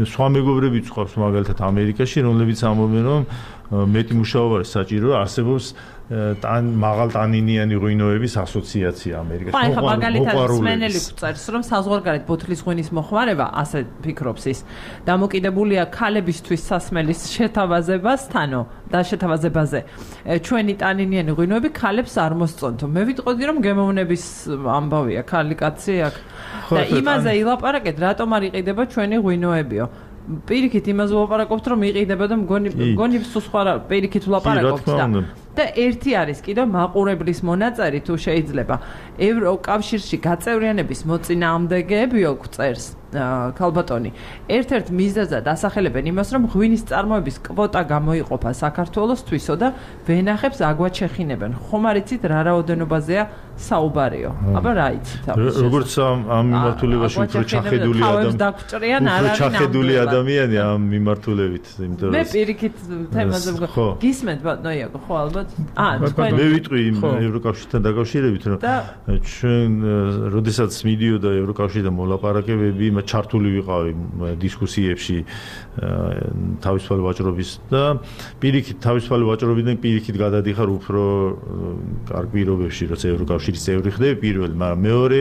სხვა მეგობრებიც ყავს მაგალითად ამერიკაში, რომლებიც ამბობენ რომ მეტი მუშაობა არის საჭირო, არსებობს თან მაღალ ტანინიანი ღვინოების ასოციაცია ამერიკაში. ხო, ახლა მაგალითად მსმენელი გვწერს, რომ საზღვარგარეთ ბოთლის ღვინის მოხმარება, ასე ფიქრობს ის, დამოკიდებულია ქალებისთვის სასმელის შეთავაზებასთანო და შეთავაზებაზე. ჩვენი ტანინიანი ღვინოები ქალებს არ მოსწონთ. მე ვიტყოდი, რომ გემოვნების ამბავია, ქალი კაცი აქ. და იმაზე ილაპარაკეთ, რატომ არ იყიდება ჩვენი ღვინოებიო. პირიქით იმას ვლაპარაკობთ, რომ იყიდება და მგონი მგონი სულ სხვა რა პირიქით ვლაპარაკობთ და და ერთი არის კიდევ მაყურებლის მონაწერი თუ შეიძლება ევროკავშირში გაწევრიანების მოწინააღმდეგეებიო წერს ქალბატონი ერთ-ერთ მიზეზად ასახელებენ იმას რომ ღვინის წარმოების კვოტა გამოიყოფა საქართველოსთვისო და ვენახებს აგვაჩეხინებენ ხომ არ იცით რა რაოდენობაზეა საუბარიო აბა რა იცით როგორც ამ მიმართულებაში უფრო ჩახედული ადამიანი უფრო ჩახედული ადამიანი ამ მიმართულებით იმიტომ რომ მე პირიქით თემაზე გისმენთ ბატონო იაკო ხო ალბათ აა მე ვიტყვი იმ ევროკავშირთან დაკავშირებით რომ ჩვენ როდესაც მიდიოდა ევროკავშირიდან მოლაპარაკებები ჩართული ვიყავი დისკუსიებში თავისუფალი ვაჭრობის და პირიქით თავისუფალი ვაჭრობიდან პირიქით გადადიხარ უფრო კარგ პირობებში როცა ევროკავშირის წევრი ხდები პირველი მაგრამ მეორე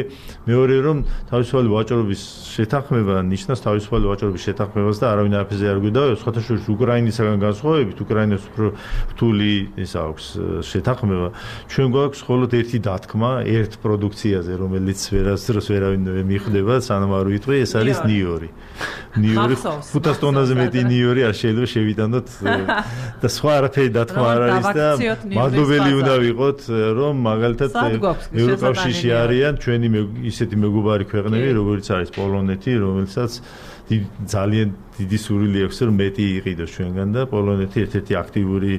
მეორე რომ თავისუფალი ვაჭრობის შეთანხმება ნიშნავს თავისუფალი ვაჭრობის შეთანხმებას და არავინ არაფერზე არ გვიდავებს სხვათა შორის უკრაინისაგან განსხვავებით უკრაინას უფრო რთული ის აქვს შეთანხმება ჩვენ გვაქვს მხოლოდ ერთი დათქმა ერთ პროდუქციაზე რომელიც ვერასდროს ვერავინ მიხვდება სანამ არ ვიტყვი ეს არის ნიორი ნიორი ხუთას ტონაზე მეტი ნიორი არ შეიძლება შევიტანოთ და სხვა არაფერი დათქმა არ არის და მადლობელი უნდა ვიყოთ რომ მაგალითად ევროკავშირში არიან ჩვენი ისეთი მეგობარი ქვეყნები როგორც არის პოლონეთი რომელსაც ძალიან დიდი სურვილი აქვს რომ მეტი იყიდოს ჩვენგან და პოლონეთი ერთ-ერთი აქტიური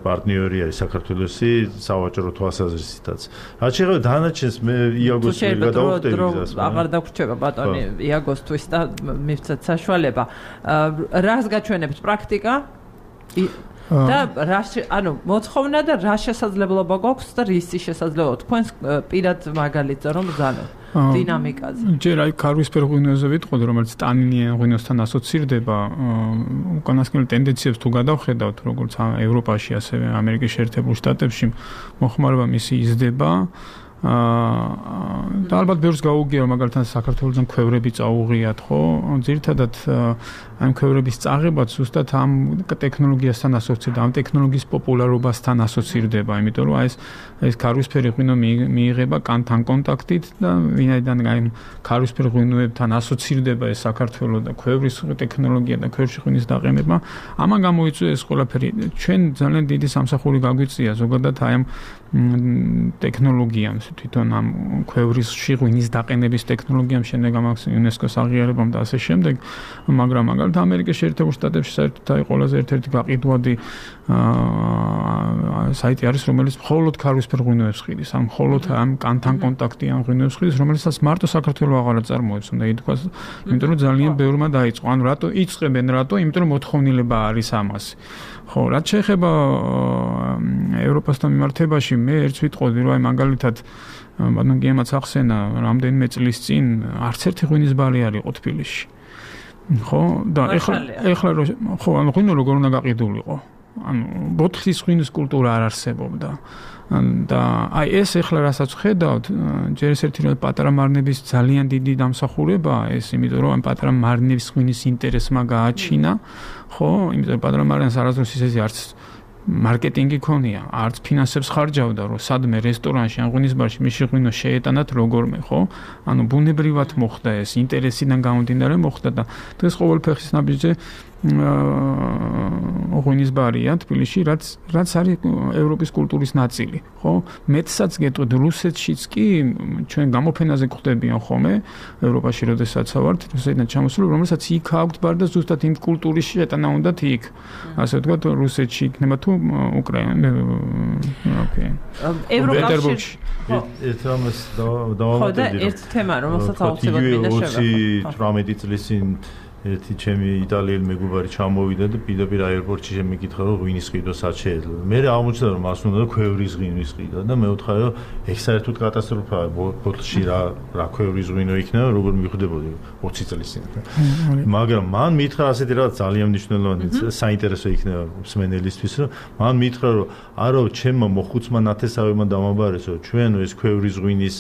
პარტნიორი არის საქართველოსი სავაჭრო თვალსაზრისითაც. რაც შეეხება დანარჩენს მე იაგოს გადავხდები გზას. აღარ დაგვრჩება ბატონი იაგოსთვის და მივცეთ საშუალება. რას გაჩვენებთ პრაქტიკა? და რა ანუ მოთხოვნა და რა შესაძლებლობა გვაქვს და რისი შესაძლებლობა თქვენს პირად მაგალითზე რომ ბრძანოთ დინამიკაზე. ჯერ აი ქარვისფერ ღვინოზე ვიტყოდი რომელიც ტანინიან ღვინოსთან ასოცირდება უკანასკნელ ტენდენციებს თუ გადავხედავთ როგორც ევროპაში ასევე ამერიკის შეერთებულ შტატებში მოხმარება მისი იზრდება და ალბათ ბევრს გაუგია რომ მაგალითად საქართველოსთან ქვევრები წაუღიათ ხო ძირითადად ამ ქვევრების წაღებაც ზუსტად ამ ტექნოლოგიასთან ასოცირდება ამ ტექნოლოგიის პოპულარობასთან ასოცირდება იმიტომ რომ აი ეს ეს ქარვისფერი ღვინო მიიღება კანთან კონტაქტით და ვინაიდან აი ქარვისფერ ღვინოებთან ასოცირდება ეს საქართველოს და ქვევრის ტექნოლოგია და ქვევრში ღვინის დაყენება ამან გამოიწვია ეს ყველაფერი ჩვენ ძალიან დიდი სამსახური გაგვიწია ზოგადად აი ამ ტექნოლოგიამ თვითონ ამ ქვევრის ღვინის დაყენების ტექნოლოგიამ შემდეგ ამას იუნესკოს აღიარებამ და ასე შემდეგ მაგრამ მაგალითად ამერიკის შეერთებულ შტატებში საერთოდ აი ყველაზე ერთ-ერთი გაყიდვადი საიტი არის რომელიც მხოლოდ ქარვისფერ ღვინოებს ხიდის ამ მხოლოდ ამ კანთან კონტაქტიან ღვინოებს ხიდის რომელსაც მარტო საქართველოს აღარ წარმოებს უნდა ითქვას იმიტომ რომ ძალიან ბევრმა დაიწყო ანუ რატო იწყებენ რატო იმიტომ რომ მოთხოვნილება არის ამას ხო რაც შეეხება ევროპასთან მიმართებაში მე ერთს ვიტყოდი რომ აი მაგალითად ბატონ გიემაც ახსენა რამდენიმე წლის წინ არც ერთი ღვინის ბარი არ იყო თბილისში ხო და ეხლა ეხლა ხო ანუ ღვინო როგორ უნდა გაყიდულიყო ანუ ბოთლის ღვინის კულტურა არ არსებობდა და აი ეს ეხლა რასაც ხედავთ ჯერ ეს ერთი რომ პატარა მარნების ძალიან დიდი დამსახურებაა ეს იმიტომ რომ ამ პატარა მარნების ღვინის ინტერესმა გააჩინა ხო იმიტომ პატარა მარნებს არასდროს ისეთი არც მარკეტინგი ქონია, არც ფინანსებს ხარჯავდა, რომ სადმე რესტორანში ან ღვინის ბარში მის ღვინო შეეტანათ როგორმე, ხო? ანუ ბუნებრივად მოხდა ეს, ინტერესიდან გამომდინარე მოხდა და დღეს ყოველ ფეხის ნაბიჯზე ღვინის ბარია თბილისში, რაც რაც არის ევროპის კულტურის ნაწილი, ხო? მეტსაც გეტყვით, რუსეთშიც კი ჩვენ გამოფენაზე გვხდებიან ხოლმე, ევროპაში როდესაც ვართ, რუსეთიდან ჩამოსული, რომელსაც იქ აქვთ ბარი და ზუსტად იმ კულტურის შეტანა უნდათ იქ. ასე ვთქვათ, რუსეთში იქნება თუ უკრაინა, ოკეი. ევროკავშირში ეს ამას დავამატებდი. ხო და ერთ თემა, რომელსაც აუცილებლად მინდა შევეხო. ოცი თვრამეტი წლის წინ ერთი ჩემი იტალიელი მეგობარი ჩამოვიდა და პირდაპირ აეროპორტში შემეკითხა რომ ღვინის ყიდვა სად შეიძლება. მე აღმოჩნდა რომ მას უნდა ქვევრის ღვინის ყიდვა და მე ვთხარი რომ ეგ საერთოდ კატასტროფაა ბოთლში რა რა ქვევრის ღვინო იქნება როგორ მიხვდებოდი ოცი წლის წინ. მაგრამ მან მითხრა ასეთი რა ძალიან მნიშვნელოვანი საინტერესო იქნება მსმენელისთვის რომ მან მითხრა რომ არო ჩემმა მოხუცმა ნათესავებმა დამაბარესო ჩვენ ეს ქვევრის ღვინის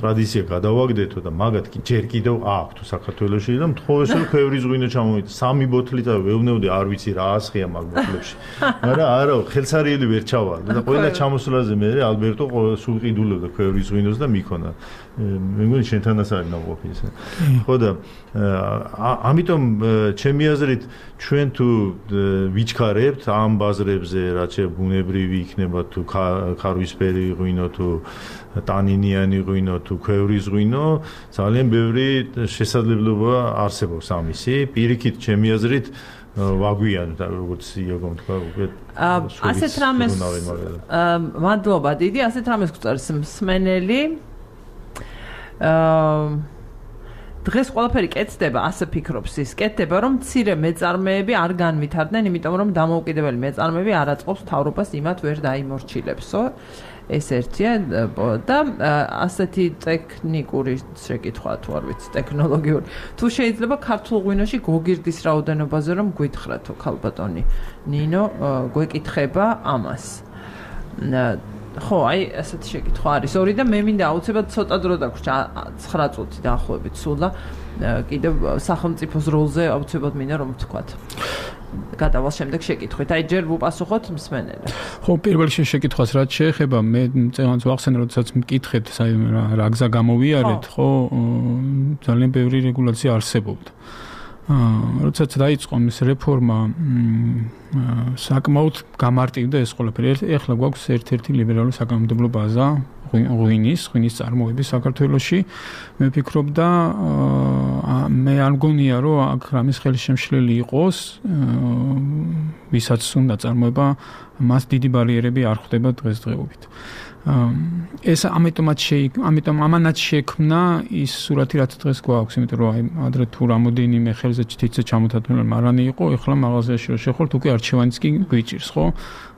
ტრადიცია გადავაგდეთო და მაგათ კი ჯერ კიდევ აქვს საქართველოში და მთხოვეს რომ ქვევრის ღვინო ჩამოვიდა, სამი ბოთლი და ვეუბნებოდი, არ ვიცი რა ასხია მაგ ბოთლებში. მაგრამ არა, ხელსარიელი ვერ ჩავალ და ყველა ჩამოსვლაზე მე ალბერტო სულ ყიდულობდა ქვევრის ღვინოს და მიქონა. მე მგონი შენთანაც არის ნაყოფი ესე. ხო და ამიტომ ჩემი აზრით ჩვენ თუ ვიჩქარებთ ამ ბაზრებზე, რაც ბუნებრივი იქნება თუ ქარვისფერი ღვინო თუ ტანინიანი ღვინო თუ ქვევრის ღვინო, ძალიან ბევრი შესაძლებლობა არსებობს ამისი. პირიქით ჩემი აზრით ვაგვიანოთ, როგორც იაგომ თქვა, უკვე ასეთ რამეს მადლობა დიდი, ასეთ რამეს გვწერს მსმენელი. აა დღეს ყველაფერი კეთდება, ასე ფიქრობს ის. კეთდება, რომ მცირე მეწარმეები არ განვითარდნენ, იმიტომ რომ დამოუკიდებელი მეწარმეები არ აწყობს მთავრობას იმათ ვერ დაიმორჩილებსო. ეს ერთია და ასეთი ტექნიკური შეკითხვა თუ არ ვიცი, ტექნოლოგიური. თუ შეიძლება ქართულ ღვინოში გოგირდის რაოდენობაზე რომ გვითხრათო, ქალბატონი ნინო გვეკითხება ამას. ხო, აი ასეთი შეკითხვა არის. ორი და მე მინდა აუცილებლად ცოტა დრო დაგვრჩა ცხრა წუთი დაახლოებით სულ და კიდევ სახელმწიფოს როლზე აუცილებლად მინდა რომ ვთქვათ. გადავალ შემდეგ შეკითხვით. აი ჯერ ვუპასუხოთ მსმენელს. ხო, პირველ რიგში შეკითხვას რაც შეეხება, მე წელს ვახსენე, როდესაც მკითხეთ, რა გზა გამოვიარეთ, ხო, ძალიან ბევრი რეგულაცია არსებობდა. აა, როდესაც დაიწყო ეს რეფორმა, საკმაოდ გამარტივდა ეს ყველაფერი. ეხლა გვაქვს ერთ-ერთი ლიბერალური საკანონმდებლო ბაზა ღვინის, ღვინის წარმოების საქართველოში. მე ვფიქრობ და მე არ მგონია, რომ აქ რამის ხელშემშლელი იყოს, ვისაც უნდა წარმოება, მას დიდი ბარიერები არ ხვდება დღესდღეობით. ეს ამიტომაც შეიქ, ამიტომ ამანაც შექმნა ის სურათი, რაც დღეს გვაქვს, იმიტომ რომ აი ადრე თუ რამოდენიმე ხელზე თითზე ჩამოთათმული მარანი იყო, ეხლა მაღაზიაში რო შეხოთ, უკვე არჩევანიც კი გვიჭირს, ხო?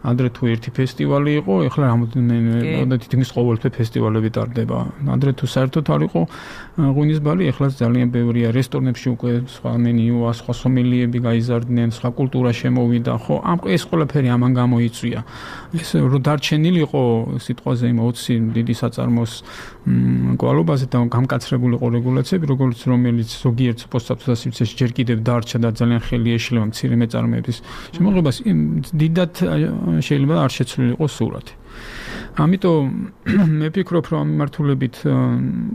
ადრე თუ ერთი ფესტივალი იყო, ეხლა რამოდენიმე და თითქმის ყოველთვე ფესტივალები ტარდება. ადრე თუ საერთოდ არ იყო ღვინის ბალი, ეხლა ძალიან ბევრია. რესტორნებში უკვე სხვა მენიუა, სხვა სომელიები გაიზარდნენ, სხვა კულტურა შემოვიდა, ხო? ამ ეს ყველაფერი ამან გამოიწვია. ეს რო დარჩენილიყო სიტყვაზე იმ ოცი დიდი საწარმოს კვალობაზე და გამკაცრებული ყო რეგულაციები, როგორც რომელიც ზოგიერთ პოსტსაბჭოთა სივრცეში ჯერ კიდევ დარჩა და ძალიან ხელი ეშლება მცირე მეწარმეების შემოღებას, დიდად შეიძლება არ შეცვლილიყო სურათი. ამიტომ მე ვფიქრობ, რომ ამ მიმართულებით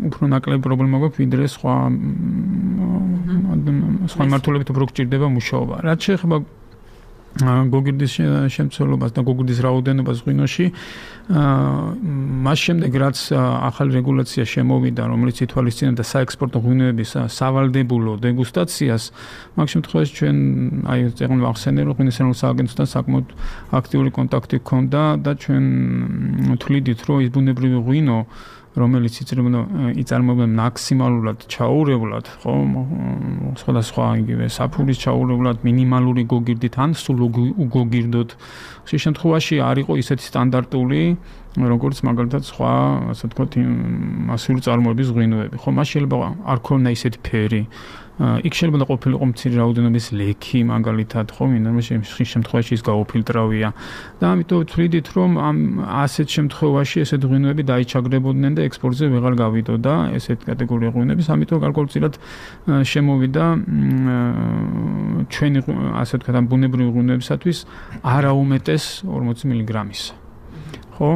უფრო ნაკლები პრობლემა გვაქვს, ვიდრე სხვა სხვა მიმართულებით უფრო გჭირდება მუშაობა. რაც შეეხება გოგირდის შემცველობას და გოგირდის რაოდენობას ღვინოში, მას შემდეგ რაც ახალი რეგულაცია შემოვიდა, რომელიც ითვალისწინებდა საექსპორტო ღვინოების სავალდებულო დეგუსტაციას, მაგ შემთხვევაში ჩვენ აი წეგნ ვახსენე, რომ ღვინის ეროვნულ სააგენტოსთან საკმაოდ აქტიური კონტაქტი გქონდა და ჩვენ თვლიდით, რომ ის ბუნებრივი ღვინო, რომელიც იწარმოებდა მაქსიმალურად ჩაურევლად, ხო, სხვადასხვა იგივე საფურის ჩაურევლად, მინიმალური გოგირდით ან სულ უგოგირდოთ. ხშირ შემთხვევაში არ იყო ისეთი სტანდარტული, როგორც მაგალითად სხვა, ასე ვთქვათ, მასიური წარმოების ღვინოები. ხო, მას შეიძლება არ ქონდა ისეთი ფერი. იქ შეიძლება ყოფილიყო მცირე რაოდენობის ლექი, მაგალითად, ხო, მინიმუმ ხშირ შემთხვევაში ის გაუფილტრავია. და ამიტომ ვთვლიდით, რომ ამ ასეთ შემთხვევაში ესეთ ღვინოები დაიჩაგრებოდნენ და ექსპორტზე ვეღარ გავიდოდა ესეთ კატეგორია ღვინოების, ამიტომ გარკვეულწილად შემოვიდა ჩვენი ასე ვთქვათ, ბუნებრივი ღვინოებისათვის არაუმეტეს ორმოცი მილიგრამისა. ხო,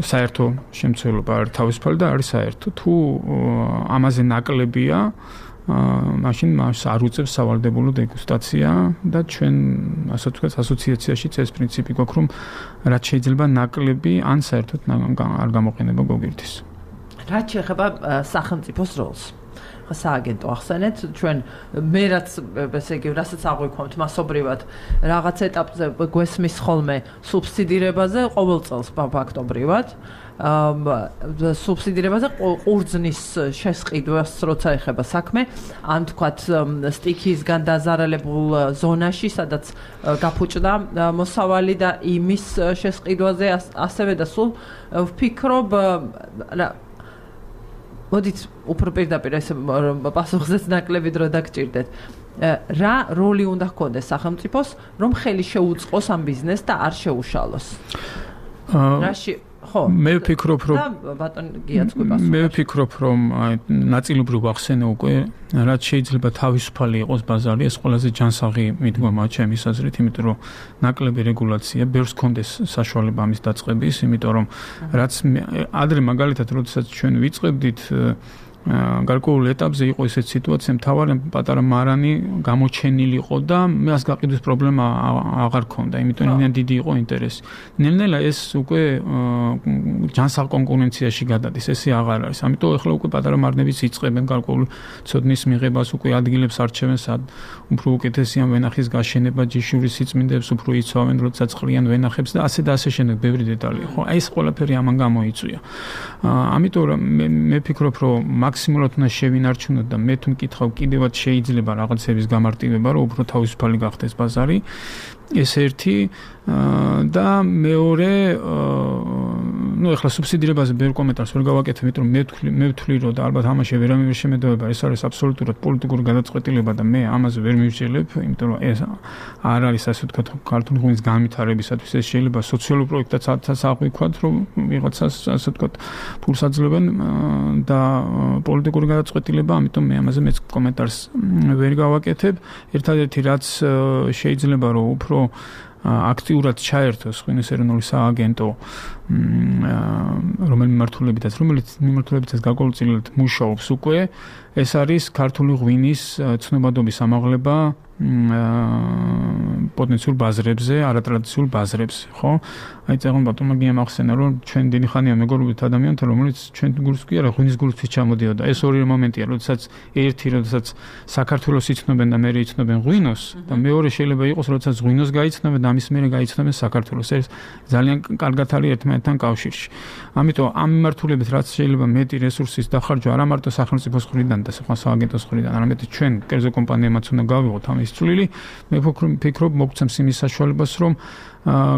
საერთო შემცველობა არის თავისუფალი და არის საერთო. თუ ამაზე ნაკლებია, მაშინ მას არ უწევს სავალდებულო დეგუსტაცია და ჩვენ ასე ვთქვათ, ასოციაციაშიც ეს პრინციპი გვაქვს, რომ რაც შეიძლება ნაკლები ან საერთოდ არ გამოყენება გოგირდის. რაც შეეხება სახელმწიფოს როლს. სააგენტო ახსენეთ, ჩვენ მე რაც ესე იგი, რასაც აღვიქვამთ მასობრივად, რაღაც ეტაპზე გვესმის ხოლმე სუბსიდირებაზე ყოველ წელს ფაქტობრივად. სუბსიდირებაზე ყურძნის შესყიდვას როცა ეხება საქმე, ან თქვათ სტიქისგან დაზარალებულ ზონაში, სადაც გაფუჭდა მოსავალი და იმის შესყიდვაზე ასევე და სულ ვფიქრობ მოდით უფრო პირდაპირ ეს პასუხზეც ნაკლები დრო დაგჭირდეთ. რა როლი უნდა ჰქონდეს სახელმწიფოს, რომ ხელი შეუწყოს ამ ბიზნესს და არ შეუშალოს? რაში მე ვფიქრობ, რომ ბატონ გიაც გვიპასუხა. მე ვფიქრობ, რომ ნაწილობრივ ახსენე უკვე, რაც შეიძლება თავისუფალი იყოს ბაზარი, ეს ყველაზე ჯანსაღი მიდგომაა ჩემის აზრით, იმიტომ რომ ნაკლები რეგულაცია, ბევრს კონდეს საშუალება ამის დაწყების, იმიტომ რომ რაც ადრე მაგალითად, როდესაც ჩვენ ვიწყებდით გარკვეულ ეტაპზე იყო ესეთ სიტუაცია, მთავარი პატარა მარანი გამოჩენილი იყო და მას გაყიდვის პრობლემა აღარ ქონდა, იმიტომ რომ დიდი იყო ინტერესი. ნელ-ნელა ეს უკვე ჯანსაღ კონკურენციაში გადადის, ესე აღარ არის. ამიტომ ახლა უკვე პატარა მარნებიც იწყებენ გარკვეულ ცოდნის მიღებას, უკვე ადგილებს არჩევენ, სად უფრო უკეთესია ვენახის გაშენება, ჯიშურის სიწმინდებს უფრო იცავენ, როდესაც ყრიან ვენახებს და ასე და ასე შემდეგ ბევრი დეტალია, ხო? აი ეს ყველაფერი ამან გამოიწვია. ამიტომ მე ვფიქრობ, რომ მაქსიმალურად უნდა შევინარჩუნოთ და მე თუ მკითხავ კიდევაც შეიძლება რაღაცების გამარტივება, რომ უფრო თავისუფალი გახდეს ბაზარი. ეს ერთი და მეორე, ну, ეხლა სუბსიდირებაზე ბევრ კომენტარს ვერ გავაკეთებ, იმიტომ რომ მე ვთვლი, მე ვთვლი, რომ და ალბათ ამაში ვერავინ ვერ შემედოება, ეს არის აბსოლუტურად პოლიტიკური გადაწყვეტილება და მე ამაზე ვერ მივსჯელებ, იმიტომ რომ ეს არ არის ასე ვთქვათ ქართული ღვინის განვითარებისათვის, ეს შეიძლება სოციალურ პროექტსაც აღვიქვათ, რომ ვიღაცას ასე ვთქვათ ფულს აძლევენ და პოლიტიკური გადაწყვეტილება, ამიტომ მე ამაზე მეც კომენტარს ვერ გავაკეთებ. ერთადერთი რაც შეიძლება რომ უფრო აქტიურად ჩაერთოს ღვინის ეროვნული სააგენტო, რომელიც მიმართულებითაც, რომელიც მიმართულებითაც გარკვეულწილად მუშაობს უკვე, ეს არის ქართული ღვინის ცნობადობის ამაღლება პოტენციურ ბაზრებზე, არატრადიციულ ბაზრებზე, ხო? აი წეგონ ბატონმა გიამახსენა, რომ ჩვენ დიდი ხანია მეგობრობით ადამიანთა, რომელიც ჩვენ გულს კი არა ღვინის გულისთვის ჩამოდიოდა. ეს ორი მომენტია, როდესაც ერთი, როდესაც საქართველოს იცნობენ და მეორე იცნობენ ღვინოს და მეორე შეიძლება იყოს, როდესაც ღვინოს გაიცნობენ და ამის მერე გაიცნობენ საქართველოს. ეს ძალიან კარგად არის ერთმანეთთან კავშირში. ამიტომ ამ მიმართულებით რაც შეიძლება მეტი რესურსის დახარჯვა არა მარტო სახელმწიფოს მხრიდან და სხვა სააგენტოს მხრიდან, არამედ ჩვენ კერძო კომპანიებმაც უნდა გავიღოთ ამის წვლილი. მე ვფიქრობ, მოგცემს იმის საშუალებას, რომ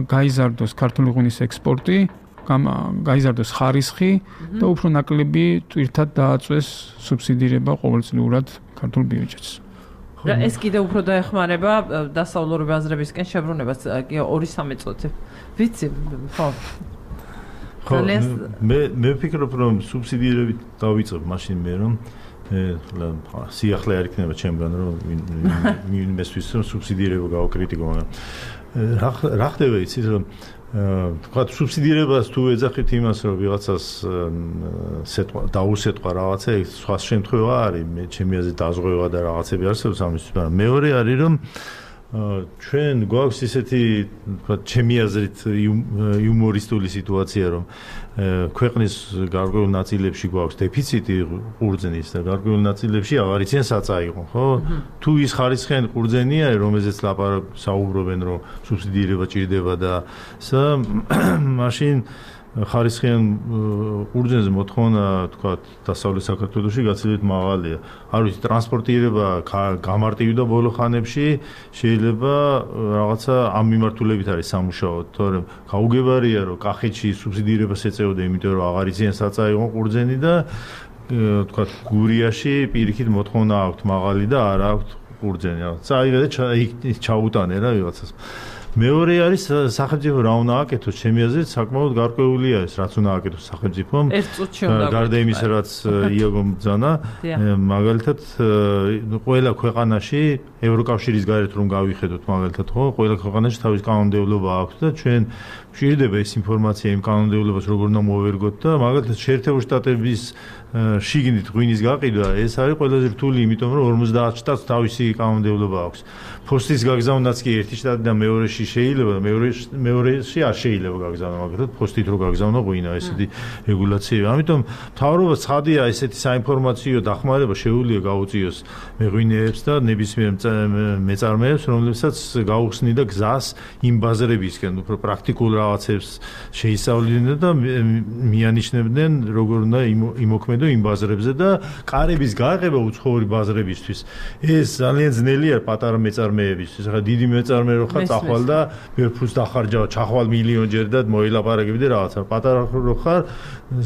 გაიზარდოს ქართული ღვინის ექსპორტი, გაიზარდოს ხარისხი და უფრო ნაკლები თვირთად დააწვეს სუბსიდირება ყოველწლიურად ქართულ ბიუჯეტს. და ეს კიდევ უფრო დაეხმარება დასავლური ბაზრებისკენ შებრუნებას, ორი სამი წუთი. ვიცი, ხო. ხო, მე მე ვფიქრობ, რომ სუბსიდირებით დავიწყებ მაშინ მე რომ სიახლე არ იქნება ჩემგან, რომ მესვის რომ სუბსიდირება გავაკრიტიკო, მაგრამ რა ხდება იცით, რომ თქვა სუბსიდირებას თუ ეძახით იმას, რომ ვიღაცას სეტყვა დაუსეტყვა რაღაცა, ეს სხვა შემთხვევა არის, მე ჩემი აზრით დაზღვევა და რაღაცები არსებობს ამისთვის, მაგრამ მეორე არის, რომ ჩვენ გვაქვს ისეთი, თქვა ჩემი აზრით იუმორისტული სიტუაცია, რომ ქვეყნის გარკვეულ ნაწილებში გვაქვს დეფიციტი ყურძნის და გარკვეულ ნაწილებში აღარ იციან საწაიღო, ხო? თუ ის ხარისხიანი ყურძენია, რომელზეც საუბრობენ, რომ სუბსიდირება ჭირდება და სა მაშინ ხარისხიან ყურძენზე მოთხოვნა, თქვა, დასავლეთ საქართველოში გაცილებით მაღალია. არ ვიცი, ტრანსპორტირება გამარტივდა ბოლო ხანებში, შეიძლება რაღაცა ამ მიმართულებით არის სამუშაო, თორემ გაუგებარია, რომ კახეთში სუბსიდირებას ეწეოდა, იმიტომ რომ აღარ იციან საწაიღო ყურძენი და თქვა, გურიაში პირიქით მოთხოვნა აქვთ მაღალი და არ აქვთ ყურძენი. წაიღე და ჩაუტანე რა ვიღაცას. მეორე არის სახელმწიფო რა უნდა აკეთოს, ჩემი აზრით საკმაოდ გარკვეულია ეს, რაც უნდა აკეთოს სახელმწიფომ. გარდა იმისა, რაც იაგომ ბრძანა, მაგალითად ყველა ქვეყანაში ევროკავშირის გარეთ რომ გავიხედოთ, მაგალითად ხო, ყველა ქვეყანაში თავის კანონმდებლობა აქვს და ჩვენ გვჭირდება ეს ინფორმაცია იმ კანონმდებლობას როგორ უნდა მოვერგოთ და მაგალითად შეერთებული შტატების შიგნით ღვინის გაყიდვა, ეს არის ყველაზე რთული, იმიტომ რომ ორმოცდაათ შტატს თავისი კანონმდებლობა აქვს. ფოსტის გაგზავნაც კი ერთი შტატიდან მეორეში შეიძლება და მეორეში არ შეიძლება გაგზავნა, მაგალითად ფოსტით რო გაგზავნა ღვინა, ესეთი რეგულაციები. ამიტომ მთავრობა ცხადია, ესეთი საინფორმაციო დახმარება შეუძლია გაუწიოს მეღვინეებს და ნებისმიერ მეწარმეებს, რომლებსაც გაუხსნიდა გზას იმ ბაზრებისკენ, უფრო პრაქტიკულ რაღაცებს შეისწავლიდნენ და მიანიშნებდნენ, როგორ უნდა იმოქმედო იმ ბაზრებზე და კარების გააღება უცხოური ბაზრებისთვის. ეს ძალიან ძნელია პატარა მეწარმეებისთვის. ახლა დიდი მეწარმე რო ხარ, წახვალ და ვერ ფულს დახარჯავ, ჩახვალ მილიონჯერ და მოილაპარაკები და რაღაცა. პატარა რო ხარ,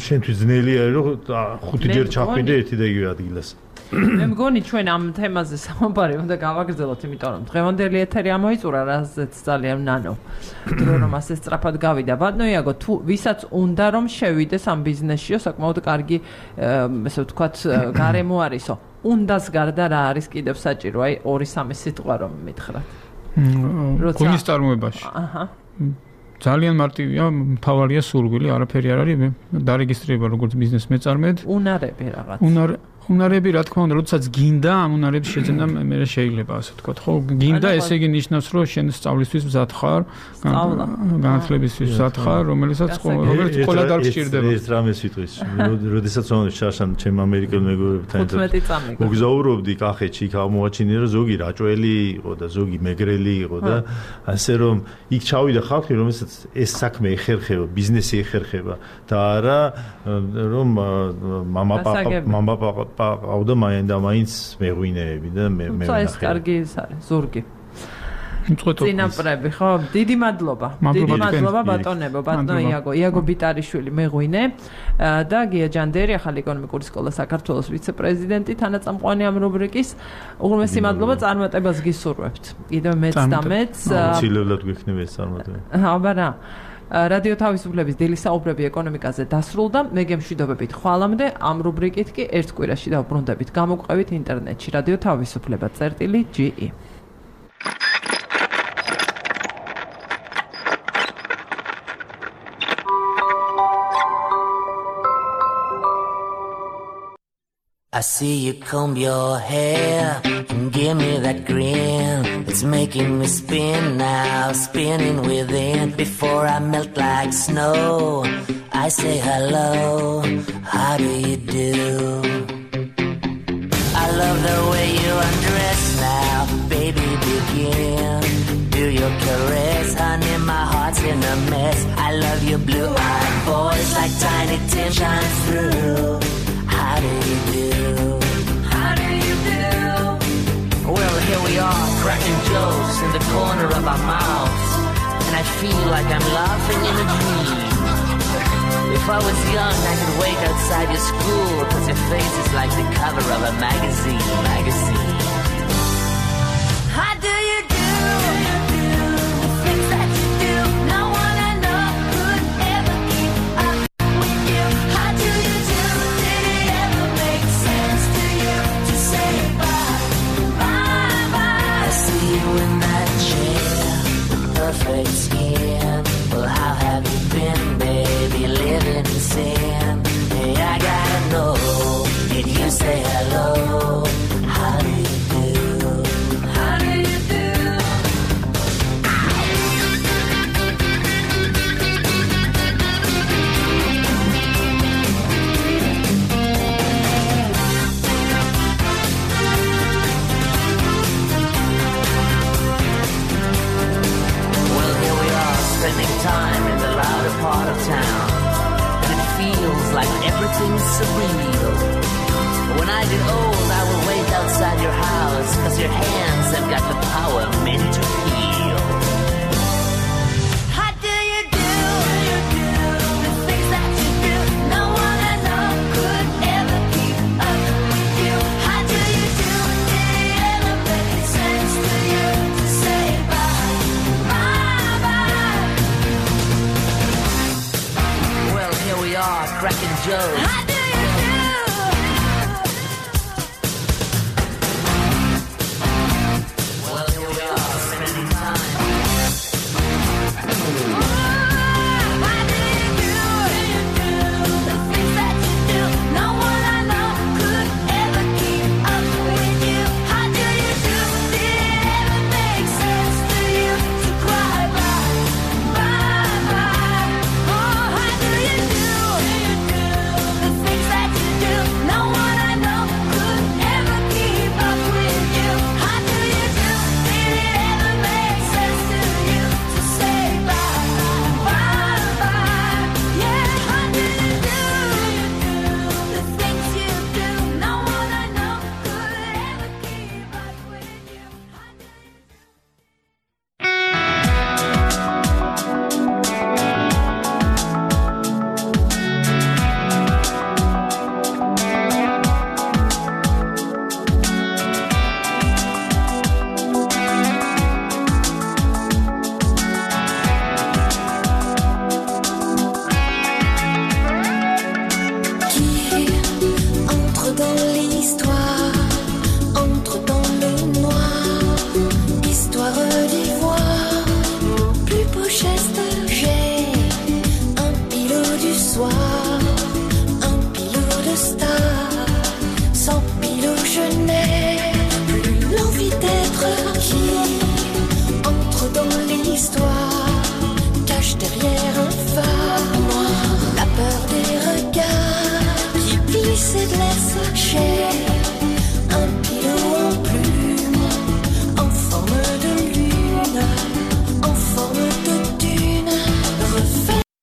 შენთვის ძნელია რომ ხუთი ჯერ ჩახვიდე ერთი და იგივე ადგილას. მე მგონი ჩვენ ამ თემაზე სამომბარი უნდა გავაგრძელოთ, იმიტომ რომ დღევანდელი ეთერი ამოიწურა, რაზეც ძალიან ნანო. დრო რომ ასე სწრაფად გავიდა. ბატონო იაგო, თუ ვისაც უნდა რომ შევიდეს ამ ბიზნესშიო, საკმაოდ კარგი, ესე ვთქვათ, გარემო არისო. უნდას გარდა რა არის კიდევ საჭირო, აი ორი სამი სიტყვა რომ მითხრათ. გულის წარმოებაში. აჰა. ძალიან მარტივია, მთავარია სურვილი, არაფერი არ არის, დარეგისტრირება როგორც ბიზნეს მეწარმედ. უნარები რაღაც. უნარ უნარები რა თქმა უნდა, როდესაც გინდა, ამ უნარებს შეძენა მე შეიძლება ასე ვთქვათ. ხო, გინდა, ესე იგი ნიშნავს, რომ შენ სწავლისთვის მზად ხარ, განათლებისთვის მზად ხარ, რომელიცაც რომელიც ყველა დაგჭირდება. ეს რამეს ვიტყვის, როდესაც შარშან ჩემ ამერიკელ მეგობრებთან ერთად მოგზაურობდი კახეთში, იქ აღმოაჩინე, რომ ზოგი რაჭველი იყო და ზოგი მეგრელი იყო და ასე რომ იქ ჩავიდა ხალხი, რომელსაც ეს საქმე ეხერხება, ბიზნესი ეხერხება და არა რომ მამა პაპა მამა პაპა ყავდა მაინც და მაინც მეღვინეები და მე მე ნახე. ეს კარგი ის არის, ზურგი. წინაპრები, ხო? დიდი მადლობა. დიდი მადლობა ბატონებო, ბატონო იაგო, იაგო ბიტარიშვილი მეღვინე და გია ჯანდერი, ახალი ეკონომიკური სკოლა საქართველოს ვიცე-პრეზიდენტი, თანაწამყვანი ამ რუბრიკის. უღრმესი მადლობა, წარმატებას გისურვებთ. კიდევ მეც და მეც. აუცილებლად გვექნება ეს წარმატება. აბა რა. რადიო თავისუფლების დილის საუბრები ეკონომიკაზე დასრულდა. მე გემშვიდობებით ხვალამდე, ამ რუბრიკით კი ერთ კვირაში დავბრუნდებით. გამოგვყევით ინტერნეტში რადიო თავისუფლება წერტილი ჯი ი. I see you comb your hair and give me that grin. It's making me spin now, spinning within. Before I melt like snow, I say hello, how do you do? I love the way you undress now, baby begin. Do your caress, honey, my heart's in a mess. I love your blue-eyed voice like Tiny Tim shines through. How do you do? How do you do? Well, here we are, cracking jokes in the corner of our mouths, and I feel like I'm laughing in a dream. If I was young, I could wait outside your school, cause your face is like the cover of a magazine, magazine. How do you do? The things that you do, no one I know could ever keep up with you. How do you do? Did it ever make sense to you to say bye, bye, bye? I see you in that chair, perfect skin. Well, how have you been, baby, living in sin? Hey, I gotta know, did you say hello? How do you do? How do you do? Well, here we are, spending time in the louder part of town, and it feels like everything's surreal. When I get old, I will wait outside your house, cause your hands have got the power meant to heal. How do you do? The things that you do, no one I know could ever keep up with you. How do you do? Did it ever make sense to you to say bye, bye, bye? Well, here we are, cracking jokes.